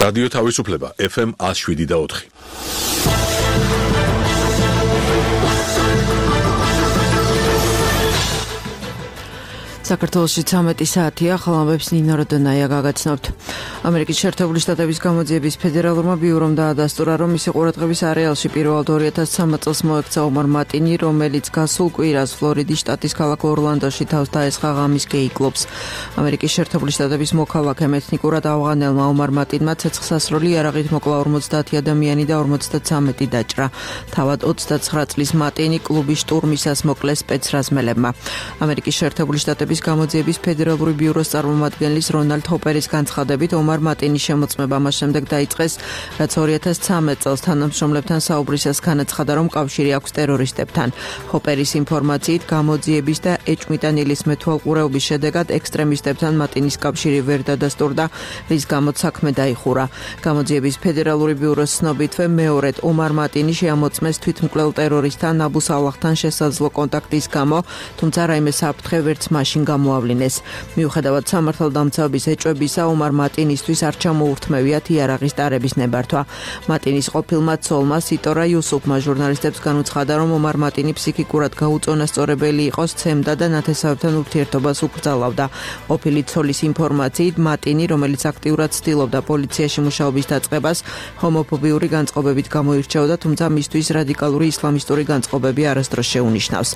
რადიო თავისუფლება FM 107.4. საქართველოში 13 საათია, ხალხებს ნინო როდონაია გაგაცნობთ. ამერიკის შეერთებული შტატების გამოძიების ფედერალურმა ბიურომ დაადასტურა, რომ მისი ყურადღების არეალში პირველად 2013 წელს მოექცა ომარ მატინი, რომელიც გასულ კვირას ფლორიდის შტატის ქალაქ ორლანდოში თავს დაესხა ღამის გეი კლუბს. ამერიკის შეერთებული შტატების მოქალაქემ ეთნიკურად ავღანელმა ომარ მატინმა ცეცხლსასროლი იარაღით მოკლა 50 ადამიანი და 53 დაჭრა. თავად 29 წლის მატინი კლუბის შტურმისას მოკლეს სპეცრაზმელებმა. ამერიკის შეერთებული შტატების გამოძიების ფედერალური ბიუროს წარმომადგენლის რონალდ ჰოპერის განცხადებით, ომარ მატინის შემოწმება მას შემდეგ დაიწყეს, რაც 2013 წელს თანამშრომლებთან საუბრისას განაცხადა, რომ კავშირი აქვს ტერორისტებთან. ჰოპერის ინფორმაციით, გამოძიების და ეჭვმიტანილის მეთვალყურეობის შედეგად ექსტრემისტებთან მატინის კავშირი ვერ დადასტურდა, რის გამოც საქმე დაიხურა. გამოძიების ფედერალური ბიუროს ცნობითვე მეორედ ომარ მატინი შეამოწმეს თვითმკვლელ ტერორისტთან აბუ სალაჰთან შესაძლო კონტაქტის გამო, თუმცა რაიმე საფრთხე ვერც მაშინ გამოავლინეს. მიუხედავად სამართალდამცავების ეჭვებისა, ომარ მატინისთვის არ ჩამოურთმევიათ იარაღის ტარების ნებართვა. მატინის ყოფილმა ცოლმა სიტორა იუსუფმა ჟურნალისტებს განუცხადა, რომ ომარ მატინი ფსიქიკურად გაუწონასწორებელი იყო, სცემდა და ნათესავებთან ურთიერთობას უკრძალავდა. ყოფილი ცოლის ინფორმაციით, მატინი, რომელიც აქტიურად ცდილობდა პოლიციაში მუშაობის დაწყებას, ჰომოფობიური განწყობებით გამოირჩეოდა, თუმცა მისთვის რადიკალური ისლამისტური განწყობები არასდროს შეუნიშნავს.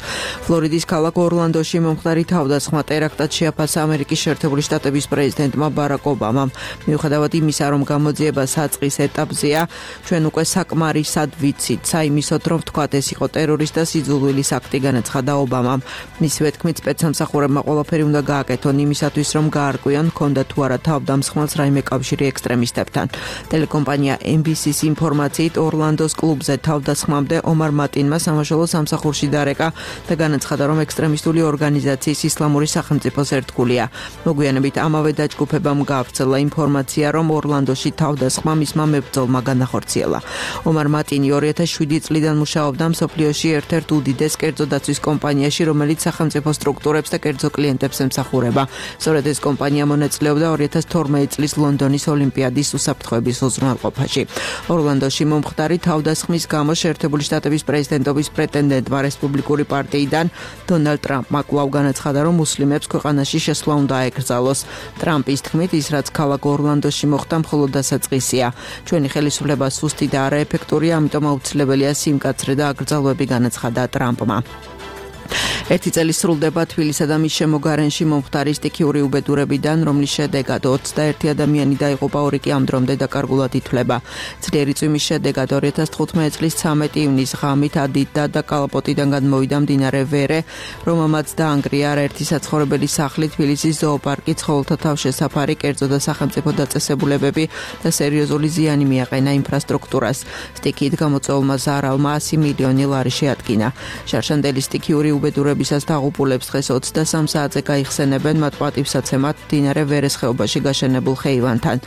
ფლორიდის ქალაქ ორლანდოში მომხდარი თავდასხმა ტერაქტად შეაფასა ამერიკის შეერთებული შტატების პრეზიდენტმა ბარაკ ობამამ. მიუხედავად იმისა, რომ გამოძიება საწყის ეტაპზეა, ჩვენ უკვე საკმარისად ვიცით, საიმისოდ, რომ ვთქვათ, ეს იყო ტერორისტთა სიძულვილის აქტი, განაცხადა ობამამ. მისივე თქმით, სპეცსამსახურებმა ყველაფერი უნდა გააკეთონ იმისათვის, რომ გაარკვიონ, ჰქონდა თუ არა თავდამსხმელს რაიმე კავშირი ექსტრემისტებთან. ტელეკომპანია NBC-ს ინფორმაციით, ორლანდოს კლუბზე თავდასხმამდე ომარ მატინმა სამაშველო სამსახურში დარეკა და განაცხადა, რომ ექსტრემისტული ორგანიზაციის ისლამური სახელმწიფოს ერთგულია. მოგვიანებით ამავე დაჯგუფებამ გაავრცელა ინფორმაცია, რომ ორლანდოში თავდასხმა მისმა მებრძოლმა განახორციელა. ომარ მატინი 2007 წლიდან მუშაობდა მსოფლიოში ერთ-ერთ უდიდეს კერძო დაცვის კომპანიაში, რომელიც სახელმწიფო სტრუქტურებს და კერძო კლიენტებს ემსახურება. სწორედ ეს კომპანია მონაწილეობდა 2012 წლის ლონდონის ოლიმპიადის უსაფრთხოების უზრუნველყოფაში. ორლანდოში მომხდარი თავდასხმის გამო შეერთებული შტატების პრეზიდენტობის პრეტენდენტმა რესპუბლიკური პარტიიდან დონალდ ტრამპმა კვლავ განაცხადა, რომ მუსლიმებს ქვეყანაში შესვლა უნდა აეკრძალოს. ტრამპის თქმით, ის რაც ქალაქ ორლანდოში მოხდა, მხოლოდ დასაწყისია. ჩვენი ხელისუფლება სუსტი და არაეფექტურია, ამიტომ აუცილებელია სიმკაცრე და აკრძალვები, განაცხადა ტრამპმა. ერთი წელი სრულდება თბილისსა და მის შემოგარენში მომხდარი სტიქიური უბედურებიდან, რომლის შედეგად 21 ადამიანი დაიღუპა, 2 კი ამ დრომდე დაკარგულად ითვლება. ძლიერი წვიმის შედეგად 2015 წლის 13 ივნის ღამით ადიდა და კალაპოტიდან გადმოვიდა მდინარე ვერე, რომელმაც დაანგრია არაერთი საცხოვრებელი სახლი, თბილისის ზოოპარკი, ცხოველთა თავშესაფარი, კერძო და სახელმწიფო დაწესებულებები და სერიოზული ზიანი მიაყენა ინფრასტრუქტურას. სტიქით გამოწვეულმა ზარალმა 100 მილიონი ლარი შეადგინა. შარშანდელი სტიქიური უბედურებისას დაღუპულებს დღეს 23 საათზე გაიხსენებენ მათ პატივსაცემად მდინარე ვერეს ხეობაში გაშენებულ ხეივანთან.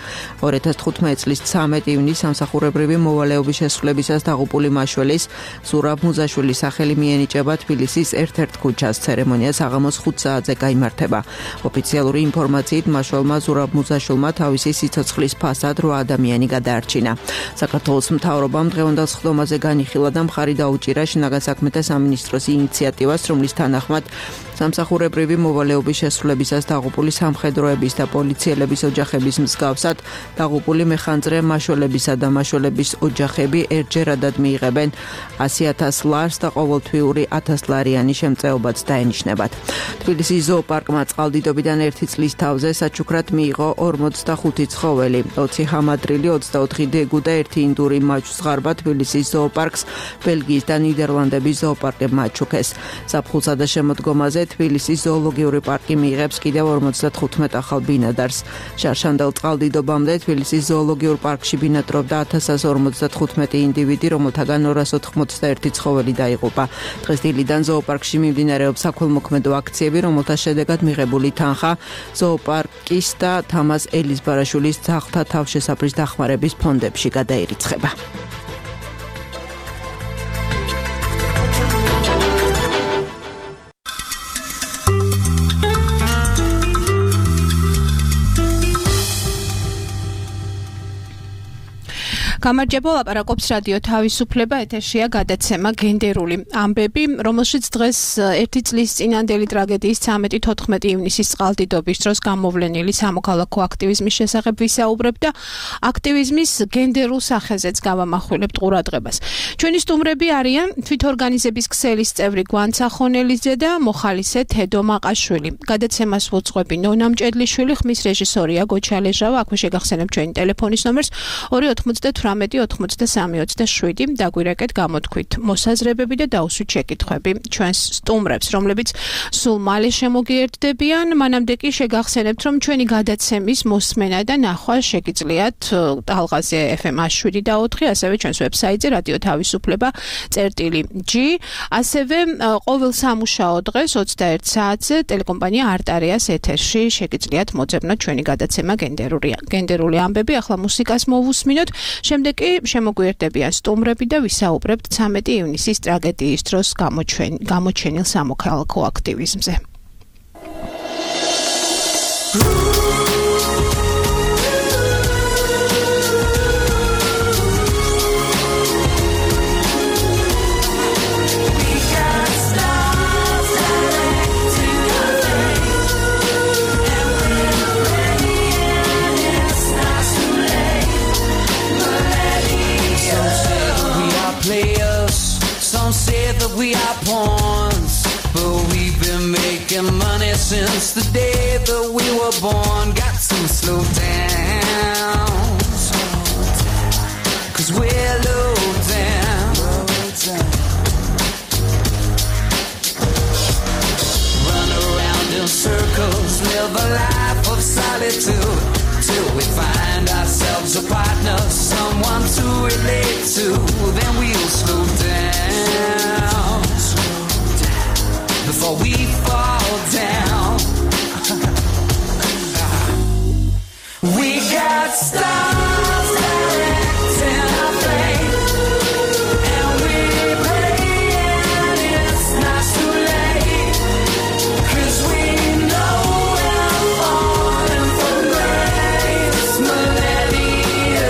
2015 წლის 13 ივნის სამსახურებრივი მოვალეობის შესრულებისას დაღუპული მაშველის ზურაბ მუზაშვილის სახელი მიენიჭება თბილისის ერთ-ერთ ქუჩას. ცერემონია საღამოს 5 საათზე გაიმართება. ოფიციალური ინფორმაციით, მაშველმა ზურაბ მუზაშვილმა თავისი სიცოცხლის ფასად 8 ადამიანი გადაარჩინა. საქართველოს მთავრობამ დღევანდელ სხდომაზე განიხილა და მხარი დაუჭირა შინაგან საქმეთა სამინისტროს ინიციატივას, რომლის თანახმად სამსახურებრივი მოვალეობის შესრულებისას დაღუპული სამხედროების და პოლიციელების ოჯახების მსგავსად დაღუპული მეხანძრე მაშველებისა და მაშველების ოჯახები ერთჯერადად მიიღებენ 100,000 ლარს და ყოველთვიური 1000 ლარიანი შემწეობაც დაენიშნებათ. თბილისის ზოოპარკმა წყალდიდობიდან 1 წლის თავზე საჩუქრად მიიღო 45 ცხოველი, 20 ჰამადრილი, 24 დეგუ და 1 ინდური მაჩვს ღარბა თბილისის ზოოპარკს ბელგიის და ნიდერლანდების ზოოპარკებმა აჩუქეს. ზაფხულსა და შემოდგომაზე თბილისის ზოოლოგიური პარკი მიიღებს კიდევ 55 ახალ ბინადარს. შარშანდელ წყალდიდობამდე თბილისის ზოოლოგიურ პარკში ბინადრობდა 1155 ინდივიდი, რომელთაგან 281 ცხოველი დაიღუპა. დღეს დილიდან ზოოპარკში მიმდინარეობს საქველმოქმედო აქციები, რომელთა შედეგად მიღებული თანხა ზოოპარკის და თამაზ ელიზბარაშვილის ძაღლთა თავშესაფრის დახმარების ფონდებში გადაირიცხება. გამარჯობა, ლაპარაკობს რადიო თავისუფლება, ეთერშია გადაცემა გენდერული ამბები, რომელშიც დღეს ერთი წლის წინანდელი ტრაგედიის 13-14 ივნისის წყალდიდობის დროს გამოვლენილი სამოქალაქო აქტივიზმის შესახებ ვისაუბრებ და აქტივიზმის გენდერულ სახეზეც გავამახვილებთ ყურადღებას. ჩვენი სტუმრები არიან თვითორგანიზების ქსელის წევრი გვანცა ხონელიძე და მოხალისე თედო მაყაშვილი. გადაცემას ვუძღვები ნონა მჭედლიშვილი, ხმის რეჟისორია გოჩალეჟავა, აქვე შეგახსენებ ჩვენი ტელეფონის ნომერს 298-83-27 დაგვირეკეთ გამოთქვით მოსაზრებები და დაუსვით შეკითხვები ჩვენს სტუმრებს, რომლებიც სულ მალე შემოგიერთდებიან. მანამდე კი შეგახსენებთ, რომ ჩვენი გადაცემის მოსმენა და ნახვა შეგიძლიათ ტალღაზე FM 107.4, ასევე ჩვენს ვებსაიტზე რადიო თავისუფლება.g, ასევე ყოველ სამუშაო დღეს 21 საათზე ტელეკომპანია არტარიას ეთერში შეგიძლიათ მოძებნოთ ჩვენი გადაცემა გენდერული ამბები. ახლა მუსიკას მოვუსმინოთ, შემდეგ კი შემოგვიერთდებიან სტუმრები და ვისაუბრებთ 13 ივნისის ტრაგედიის დროს გამოჩენილ სამოქალაქო აქტივიზმზე. We are pawns, but we've been making money since the day that we were born. Got to slow down, 'cause we're low down. Run around in circles, live a life of solitude, till we find ourselves a partner, someone to relate to. Then we'll slow down before we fall down. We got stars directing our fate, and we're praying it's not too late, 'cause we know we're falling from grace. Millennium,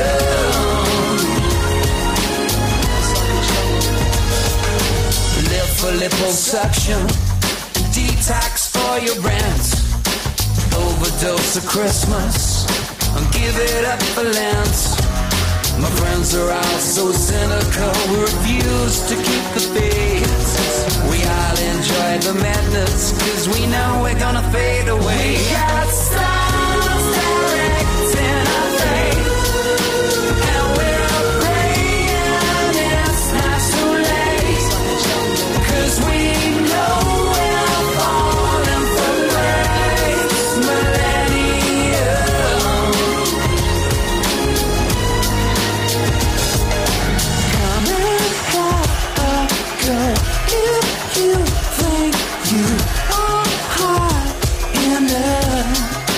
live for liposuction, detox for your brands, overdose of Christmas, and give it up for Lent. My friends are all so cynical, we refuse to keep the faith. We all enjoy the madness, 'cause we know we're gonna fade away. We got stars directing our fate, and we're praying it's not too late, 'cause we know we're falling from grace. Millennium, come and have a girl if you think you are hot enough.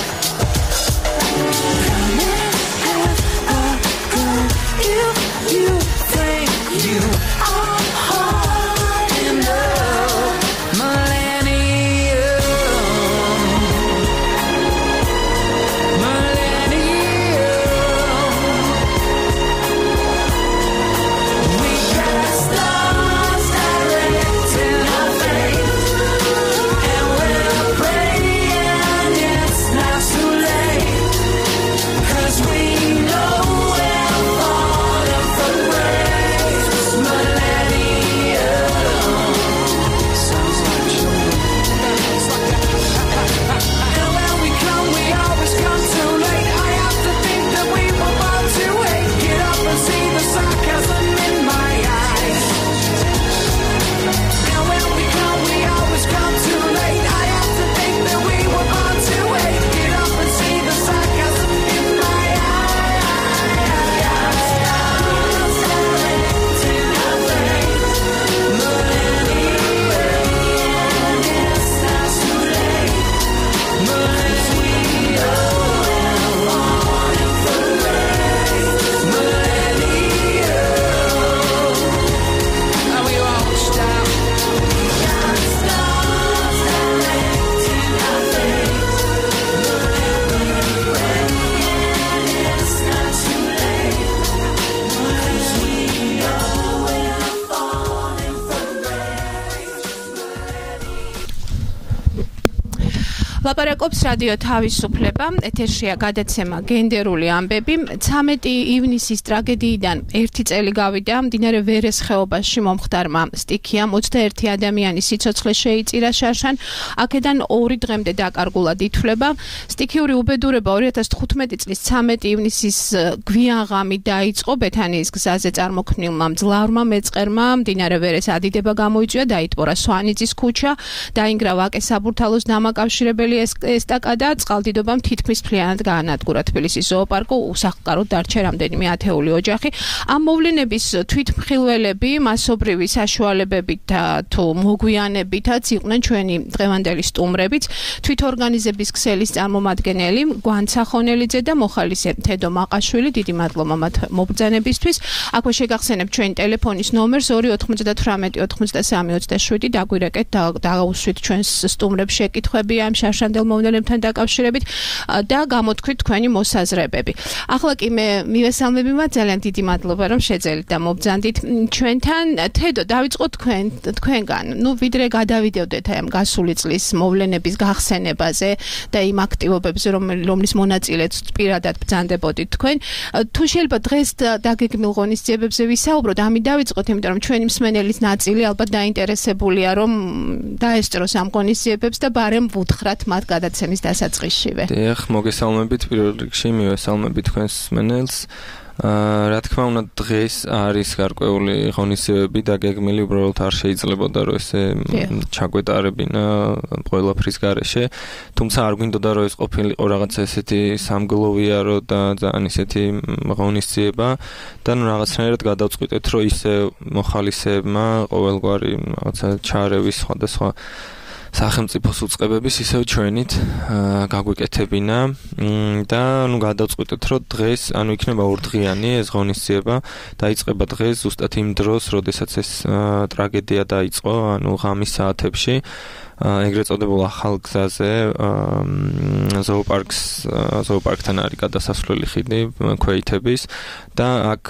ლაპარაკობს რადიო თავისუფლება, ეთერშია გადაცემა გენდერული ამბები. 13 ივნისის ტრაგედიიდან 1 წელი გავიდა. მდინარე ვერეს ხეობაში მომხდარმა სტიქიამ 21 ადამიანის სიცოცხლე შეიწირა შარშან. აქედან 2 დღემდე დაკარგულად ითვლება. სტიქიური უბედურება 2015 წლის 13 ივნისის გვიანღამით დაიწყო ბეთანიის გზაზე წარმოქმნილმა მძლავრმა მეწყერმა. მდინარე ვერეს ადიდება გამოიწვია, დაიტბორა სვანიძის ქუჩა, დაინგრა ვაკე საბურთალოს დამაკავშირებელი ესტაკადა, წყალდიდობამ თითქმის მთლიანად გაანადგურა თბილისის ზოოპარკი, უსახლკაროდ დარჩა რამდენიმე ათეული ოჯახი. ამ მოვლენების თვითმხილველები მასობრივი საშუალებებით თუ მოგვიანებითაც იყვნენ ჩვენი დღევანდელი სტუმრებიც, თვითორგანიზების ქსელის წარმომადგენელი გვანცა ხონელიძე და მოხალისე თედო მაყაშვილი. დიდი მადლობა მათ მობრძანებისთვის. აქვე შეგახსენებთ ჩვენი ტელეფონის ნომერს 298 93 27. დაგვირეკეთ და დაუსვით ჩვენს სტუმრებს შეკითხვები ამ შარშანდელ მოვლენებთან დაკავშირებით და გამოთქვით თქვენი მოსაზრებები. ახლა კი მე მივესალმები მათ, ძალიან დიდი მადლობა რომ შეძელით და მობრძანდით ჩვენთან. თედო, დავიწყოთ თქვენგან. ვიდრე გადავიდევდეთ ამ გასული წლის მოვლენების გახსენებაზე და იმ აქტივობებზე, რომლის მონაწილეც პირადად ბრძანდებოდით თქვენ. თუ შეიძლება დღეს დაგეგმილ ღონისძიებებზე ვისაუბროთ, ამით დავიწყოთ, იმიტომ რომ ჩვენი მსმენელის ნაწილი ალბათ დაინტერესებულია რომ დაესწროს ამ ღონისძიებებს და ბარემ ვუთხრათ მათ გადაცემის დასაწყისშივე. დიახ, მოგესალმებით პირველ რიგში, მივესალმებით თქვენს მსმენელს. რა თქმა უნდა, დღეს არის გარკვეული ღონისძიებები დაგეგმილი, უბრალოდ არ შეიძლებოდა რომ ესე ჩაგვეტარებინა ყველაფრის გარეშე. თუმცა არ გვინდოდა რომ ეს ყოფილიყო რაღაცა ესეთი სამგლოვიარო და ძალიან ესეთი ღონისძიება და რაღაცნაირად გადავწყვიტეთ რომ ისე მოხალისეებმა ყოველგვარი რაღაცა ჩარევის სხვადასხვა სახელმწიფოს უწყებების ისევ ჩვენით გაგვიკეთებინა და გადავწყვიტეთ რომ დღეს იქნება ორდღიანი ეს ღონისძიება, დაიწყება დღეს ზუსტად იმ დროს, როდესაც ეს ტრაგედია დაიწყო, ღამის საათებში. ეგრეთ წოდებულ ახალ გზაზე ზოოპარკთან არის გადასასვლელი ხიდი ქვეითების და აქ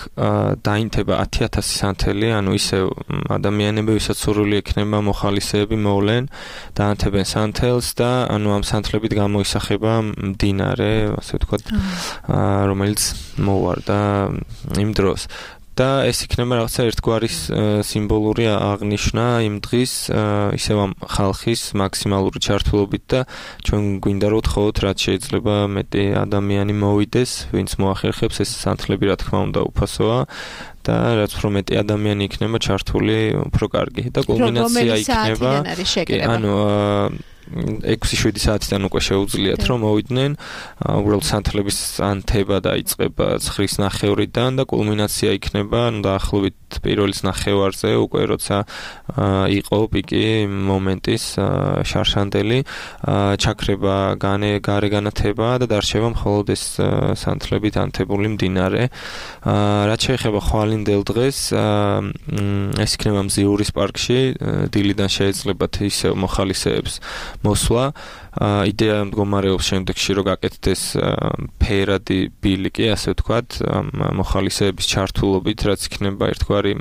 დაინთება 10,000 სანთელი, ისევ ადამიანები, ვისაც სურვილი ექნება მოხალისეები მოვლენ, დაანთებენ სანთელს და ამ სანთლებით გამოისახება მდინარე, ასე ვთქვათ, რომელიც მოვარდა იმ დროს. და ეს იქნება რაღაცა ერთგვარი სიმბოლური აღნიშვნა იმ დღის ისევ ამ ხალხის მაქსიმალური ჩართულობით და ჩვენ გვინდა რომ ვთხოვოთ რაც შეიძლება მეტი ადამიანი მოვიდეს, ვინც მოახერხებს ეს სანთლები რა თქმა უნდა უფასოა და რაც უფრო მეტი ადამიანი იქნება ჩართული, უფრო კარგი და კულმინაცია იქნება. 6-7 საათიდან უკვე შეუძლიათ რომ მოვიდნენ, უბრალოდ სანთლების ანთება დაიწყება 9:30-დან და კულმინაცია იქნება დაახლოებით პირველის ნახევარზე, უკვე როცა იყო პიკი მომენტის შარშანდელი, ჩაქრება გარე განათება და დარჩება მხოლოდ ეს სანთლებით ანთებული მდინარე. რაც შეეხება ხვალინდელ დღეს, ეს იქნება მზიურის პარკში, დილიდან შეეძლებათ ისევ მოხალისეებს მოსვლა. იდეა მდგომარეობს შემდეგში რომ გაკეთდეს ფერადი ბილიკი, ასე ვთქვათ, მოხალისეების ჩართულობით, რაც იქნება ერთგვარი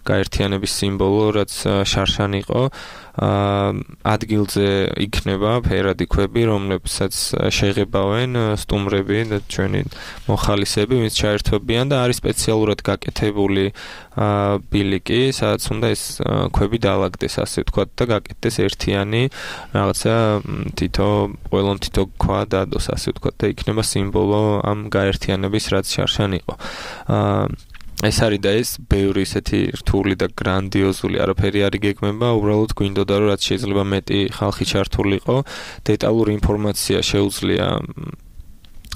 გაერთიანების სიმბოლო, რაც შარშან იყო. ადგილზე იქნება ფერადი ქვები, რომლებსაც შეღებავენ სტუმრები და ჩვენი მოხალისეები, ვინც ჩაერთვებიან და არის სპეციალურად გაკეთებული ბილიკი, სადაც უნდა ეს ქვები დაალაგდეს, ასე ვთქვათ, და გაკეთდეს ერთიანი რაღაცა ყველამ თითო ქვა დადოს, ასე ვთქვათ, და იქნება სიმბოლო ამ გაერთიანების, რაც შარშან იყო. ეს არის და ეს ბევრი ისეთი რთული და გრანდიოზული არაფერი არ იგეგმება, უბრალოდ გვინდოდა რომ რაც შეიძლება მეტი ხალხი ჩართულიყო, დეტალური ინფორმაცია შეუძლია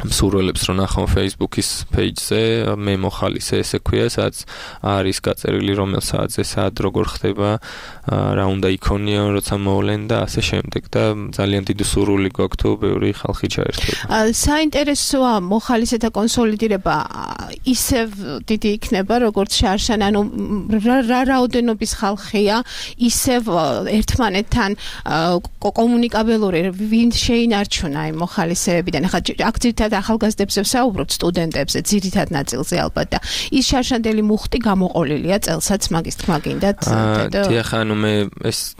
მსურველებს რომ ნახონ Facebook-ის page-ზე, მე მოხალისე ესე ქვია, სადაც არის გაწერილი რომელ საათზე საათ როგორ ხდება, რა უნდა იქონიონ, როცა მოვლენ და ასე შემდეგ და ძალიან დიდი სურვილი გვაქვს თუ ბევრი ხალხი ჩაერთვება. საინტერესოა მოხალისეთა კონსოლიდირება ისევ დიდი იქნება, როგორც შარშან, რა რაოდენობის ხალხია, ისევ ერთმანეთთან კომუნიკაბელური, ვინ შეინარჩუნა იმ მოხალისეებიდან. ახლა აქ ახალგაზრდებზე ვსაუბრობთ, სტუდენტებზე, ძირითად ნაწილზე ალბათ და ის შარშანდელი მუხტი გამოყოლილია წელსაც, მაგის თქმა გინდათ. დიახ, მე ეს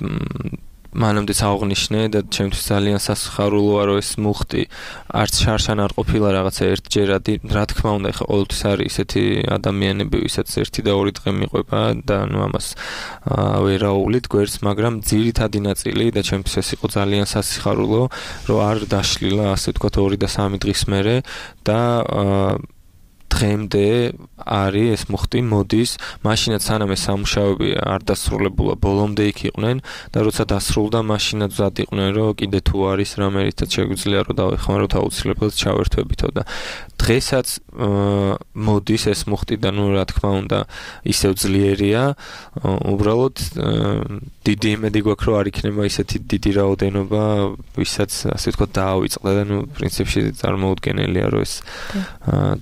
მანამდეც აღვნიშნე და ჩემთვის ძალიან სასიხარულოა რომ ეს მუხტი არც შარშან არ ყოფილა რაღაცა ერთჯერადი, რა თქმა უნდა, ეხლა ყოველთვის არის ისეთი ადამიანები, ვისაც 1 და 2 დღე მიყვება და ამას ვერაულით გვერდს, მაგრამ ძირითადი ნაწილი და ჩემთვის ეს იყო ძალიან სასიხარულო, რომ არ დაშლილა, ასე ვთქვათ, 2 და 3 დღის მერე და დღემდე არის ეს მუხტი მოდის, მაშინაც სანამ ეს სამუშაოები არ დასრულებულა, ბოლომდე იქ იყვნენ და როცა დასრულდა, მაშინაც ვზად იყვნენ, რომ კიდე თუ არის რამე რითაც შეგვიძლია რომ დავეხმაროთ აუცილებლად ჩავერთვებითო და დღესაც მოდის ეს მუხტი და ნუ რა თქმა უნდა ისევ ძლიერია, უბრალოდ დიდი იმედი გვაქვს რომ არ იქნება ისეთი დიდი რაოდენობა, ვისაც ასე ვთქვათ დაავიწყდა და ნუ პრინციპში წარმოუდგენელია რომ ეს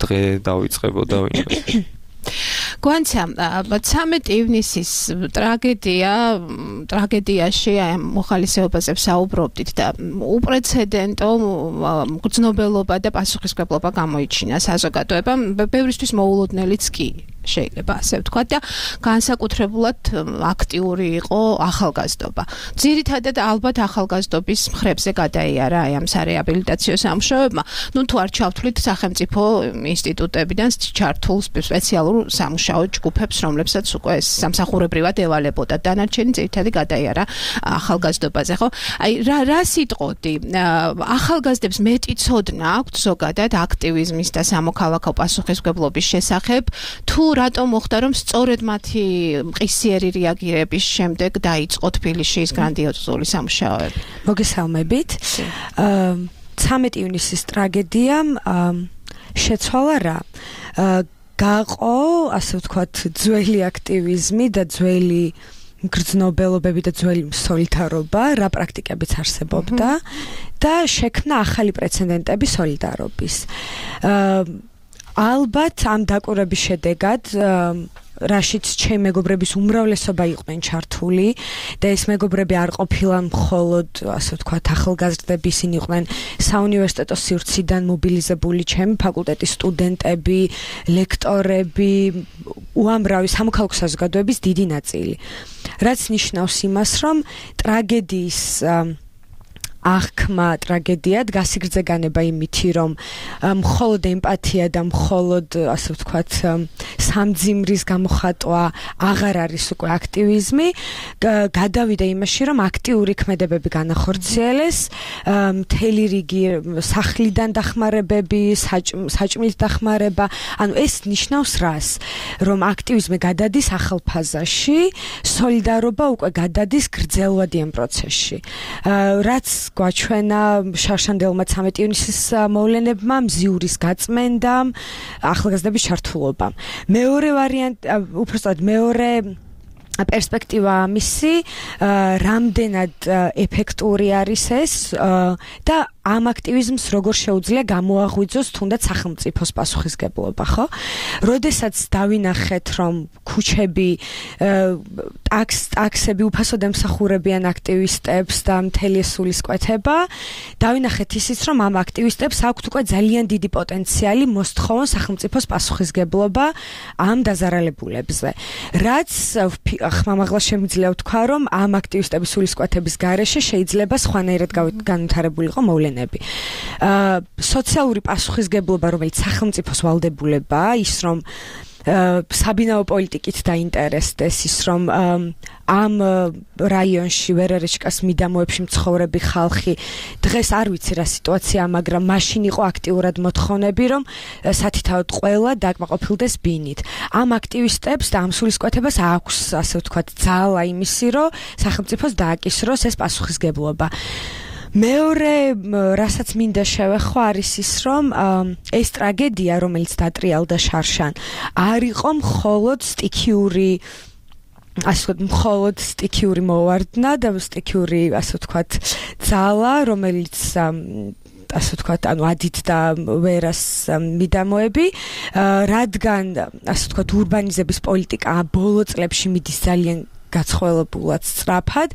დღე დავიწყებოდა ვინმე. გვანცა 13 ივნისის ტრაგედიაში აი მოხალისეობაზე ვსაუბრობდით და უპრეცედენტო გრძნობელობა და პასუხისმგებლობა გამოიჩინა საზოგადოებამ, ბევრისთვის მოულოდნელიც კი შეიძლება ასე ვთქვათ და განსაკუთრებულად აქტიური იყო ახალგაზრდობა. ძირითადად ალბათ ახალგაზრდობის მხრებზე გადაიარა აი ამ სარეაბილიტაციო სამუშაოებმა. ნუ თუ არ ჩავთვლით სახელმწიფო ინსტიტუტებიდან ჩართულ სპეციალურ სამუშაო ჯგუფებს, რომლებსაც უკვე სამსახურებრივად ევალებოდა. დანარჩენი ძირითადად გადაიარა ახალგაზრდობაზე, ხო? აი რა სიტყოდი? ახალგაზრდებს მეტი ცოდნა აქვთ ზოგადად აქტივიზმის და სამოქალაქო პასუხისმგებლობის შესახებ, თუ რატომ მოხდა რომ სწორედ მათი მყისიერი რეაგირების შემდეგ დაიწყო თბილისში ის გრანდიოზული სამუშაოები? მოგესალმებით. 13 ივნისის ტრაგედიამ შეცვალა რა? გაყო, ასე ვთქვათ, ძველი აქტივიზმი და ძველი გრძნობელობები და ძველი სოლიდარობა, რა პრაქტიკებიც არსებობდა და შექმნა ახალი პრეცედენტები სოლიდარობის. ალბათ ამ დაკვირვების შედეგად რაშიც ჩემი მეგობრების უმრავლესობა იყვნენ ჩართული და ეს მეგობრები არ ყოფილან მხოლოდ ასე ვთქვათ ახალგაზრდები, ისინი იყვნენ საუნივერსიტეტო სივრციდან მობილიზებული ჩემი ფაკულტეტის სტუდენტები, ლექტორები, უამრავი სამოქალაქო საზოგადოების დიდი ნაწილი. რაც ნიშნავს იმას, რომ ტრაგედიის აღქმა ტრაგედიად გასიგრძე განება იმითი, რომ მხოლოდ ემპათია და მხოლოდ ასე ვთქვათ სამძიმრის გამოხატვა აღარ არის უკვე აქტივიზმი, გადავიდა იმაში, რომ აქტიური ქმედებები განახორციელეს, მთელი რიგი სახლიდან დახმარებები, საჭმლის დახმარება, ანუ ეს ნიშნავს რას? რომ აქტივიზმი გადადის ახალ ფაზაში, სოლიდარობა უკვე გადადის გრძელვადიან პროცესში. რაც გვაჩვენა შარშანდელმა 13 ივნისის მოვლენებმა, მზიურის გაწმენდამ, ახალგაზრდების ჩართულობამ. მეორე ვარიანტი, უბრალოდ მეორე პერსპექტივა ამისი, რამდენად ეფექტური არის ეს და ამ აქტივიზმს როგორ შეუძლია გამოაღვიძოს თუნდაც სახელმწიფოს პასუხისმგებლობა, ხო? როდესაც დავინახეთ, რომ ქუჩები, ტაქსები უფასოდ ემსახურებიან აქტივისტებს და მთელი სულისკვეთება, დავინახეთ ისიც, რომ ამ აქტივისტებს აქვთ უკვე ძალიან დიდი პოტენციალი მოსთხოვონ სახელმწიფოს პასუხისმგებლობა ამ დაზარალებულებზე. რაც ხმამაღლა შემიძლია ვთქვა, რომ ამ აქტივისტების სულისკვეთების გარეშე შეიძლება სხვანაირად განვითარებულიყო მოვლენები. სოციალური პასუხისმგებლობა, რომელიც სახელმწიფოს ვალდებულებაა, ის რომ საბინაო პოლიტიკით დაინტერესდეს, ის რომ ამ რაიონში ვერერეჩკას მიდამოებში მცხოვრები ხალხი დღეს არ ვიცი რა სიტუაცია, მაგრამ მაშინ იყო აქტიურად მოთხოვნები, რომ სათითაოდ ყველა დაკმაყოფილდეს ბინით. ამ აქტივისტებს და ამ სულისკვეთებას აქვს, ასე ვთქვათ, ძალა იმისი, რომ სახელმწიფოს დააკისროს ეს პასუხისმგებლობა. მეორე, რასაც მინდა შევეხო, არის ის, რომ ეს ტრაგედია, რომელიც დატრიალდა შარშან, არ იყო მხოლოდ სტიქიური, ასე ვთქვათ, მხოლოდ სტიქიური მოვარდნა და სტიქიური, ასე ვთქვათ, ძალა, რომელიც ასე ვთქვათ, ანუ ადით და ვერას მიდამოები, რადგან, ასე ვთქვათ, ურბანიზების პოლიტიკა ბოლო წლებში მიდის ძალიან გაცხოველებულად სწრაფად.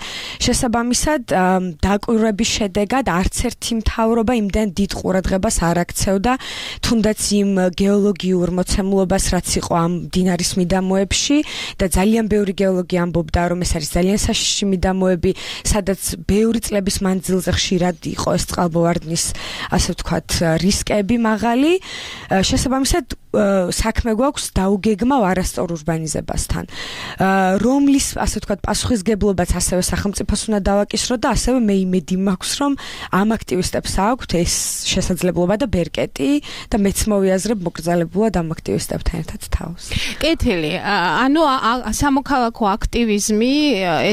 შესაბამისად, დაკვირვების შედეგად არც ერთი მთავრობა იმდენ დიდ ყურადღებას არ აქცევდა თუნდაც იმ გეოლოგიურ მოცემულობას, რაც იყო ამ მდინარის მიდამოებში და ძალიან ბევრი გეოლოგი ამბობდა, რომ ეს არის ძალიან საშიში მიდამოები, სადაც ბევრი წლების მანძილზე ხშირად იყო ეს წყალმოვარდნის, ასე ვთქვათ, რისკები მაღალი. შესაბამისად, საქმე გვაქვს დაუგეგმავ არასწორ ურბანიზებასთან, რომლის, ასე ვთქვათ, პასუხისგებლობაც ასევე სახელმწიფოს უნდა დავაკისრო და ასევე მე იმედი მაქვს, რომ ამ აქტივისტებს აქვთ ეს შესაძლებლობა და ბერკეტი და მეც მოვიაზრებ მოკრძალებულად ამ აქტივისტებთან ერთად თავს. კეთილი, ანუ სამოქალაქო აქტივიზმი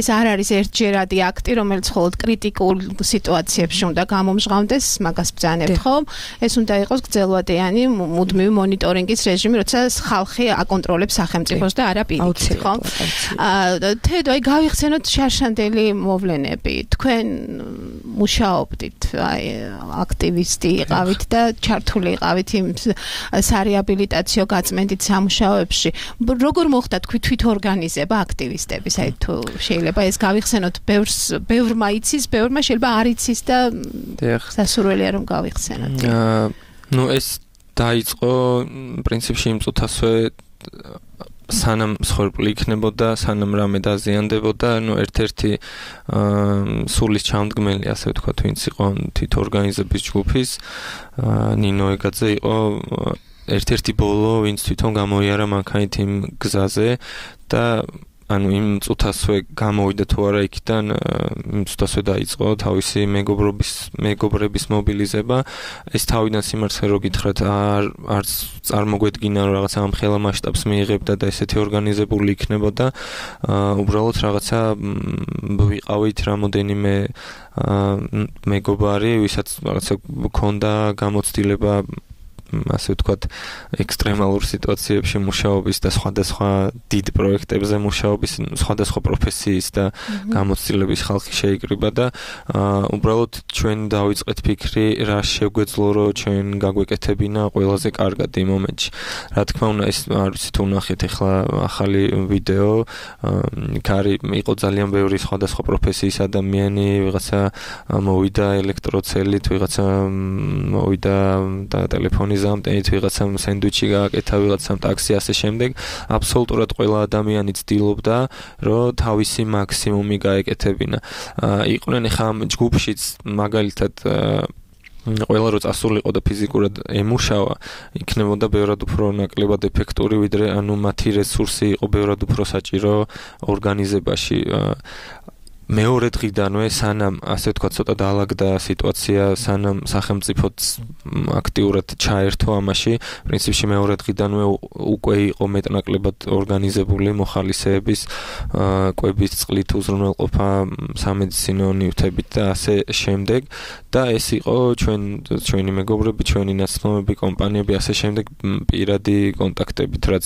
ეს არ არის ერთჯერადი აქტი, რომელიც მხოლოდ კრიტიკულ სიტუაციებში უნდა გამომჟღავნდეს, მაგას ბრძანებთ ხომ? ეს უნდა იყოს გრძელვადიანი მუდმივი მონიტორინგის რეჟიმი, როცა ხალხი აკონტროლებს სახელმწიფოს და არა პირიქით, ხო? თედო, აი გავიხსენოთ შარშანდელი მოვლენები. თქვენ მუშაობდით, აი აქტივისტი იყავით და ჩართული იყავით იმ სარეაბილიტაციო გაწმენდით სამუშაოებში. როგორ მოხდა თქვი თვითორგანიზება აქტივისტების? აი თუ შეიძლება ეს გავიხსენოთ, ბევრმა იცის, ბევრმა შეიძლება არ იცის და სასურველია რომ გავიხსენოთ. ნუ ეს დაიწყო პრინციპში იმ წუთასვე სანამ მსხვერპლი იქნებოდა, სანამ რამე დაზიანდებოდა, ნუ ერთ-ერთი სულის ჩამდგმელი, ასე ვთქვათ, ვინც იყო თვითორგანიზების ჯგუფის, ნინო ეგაძე იყო ერთ-ერთი ბოლო, ვინც თვითონ გამოიარა მანქანით იმ გზაზე და ანუ იმ წუთასვე გამოვიდა თუ არა იქიდან, იმ წუთასვე დაიწყო თავისი მეგობრების მობილიზება. ეს თავიდან სიმართლე რო გითხრათ, არც წარმოგვედგინა რომ რაღაცა ამ ხელა მასშტაბს მიიღებდა და ესეთი ორგანიზებული იქნებოდა. უბრალოდ რაღაცა ვიყავით რამოდენიმე მეგობარი, ვისაც რაღაცა გქონდა გამოცდილება ასე ვთქვათ, ექსტრემალურ სიტუაციებში მუშაობის და სხვადასხვა დიდ პროექტებზე მუშაობის, სხვადასხვა პროფესიის და გამოცდილების ხალხი შეიკრიბა და უბრალოდ ჩვენ დავიწყეთ ფიქრი, რა შეგვეძლო, რომ ჩვენ გაგვეკეთებინა ყველაზე კარგად იმ მომენტში. რა თქმა უნდა, ეს არ ვიცი თუ ნახეთ ახლა ახალი ვიდეო, კარი იყო ძალიან ბევრი სხვადასხვა პროფესიის ადამიანი, ვიღაცა მოვიდა ელექტროცელით, ვიღაცა მოვიდა და ტელეფონის ამტენით, ვიღაცამ სენდვიჩი გააკეთა, ვიღაცამ ტაქსი, ასე შემდეგ. აბსოლუტურად ყველა ადამიანი ცდილობდა, რომ თავისი მაქსიმუმი გაეკეთებინა. იყვნენ ახლა ამ ჯგუფშიც მაგალითად ყველა რო წასულიყო და ფიზიკურად ემუშავა, იქნებოდა ბევრად უფრო ნაკლებად ეფექტური, ვიდრე ანუ მათი რესურსი იყო ბევრად უფრო საჭირო ორგანიზებაში. მეორე დღიდანვე სანამ ასე ვთქვათ ცოტა დაალაგდა სიტუაცია, სანამ სახელმწიფოც აქტიურად ჩაერთო ამაში, პრინციპში მეორე დღიდანვე უკვე იყო მეტნაკლებად ორგანიზებული მოხალისეების კვების წყლით უზრუნველყოფა სამედიცინო ნივთებით და ასე შემდეგ და ეს იყო ჩვენი მეგობრები, ჩვენი ნაცნობები, კომპანიები, ასე შემდეგ პირადი კონტაქტებით, რაც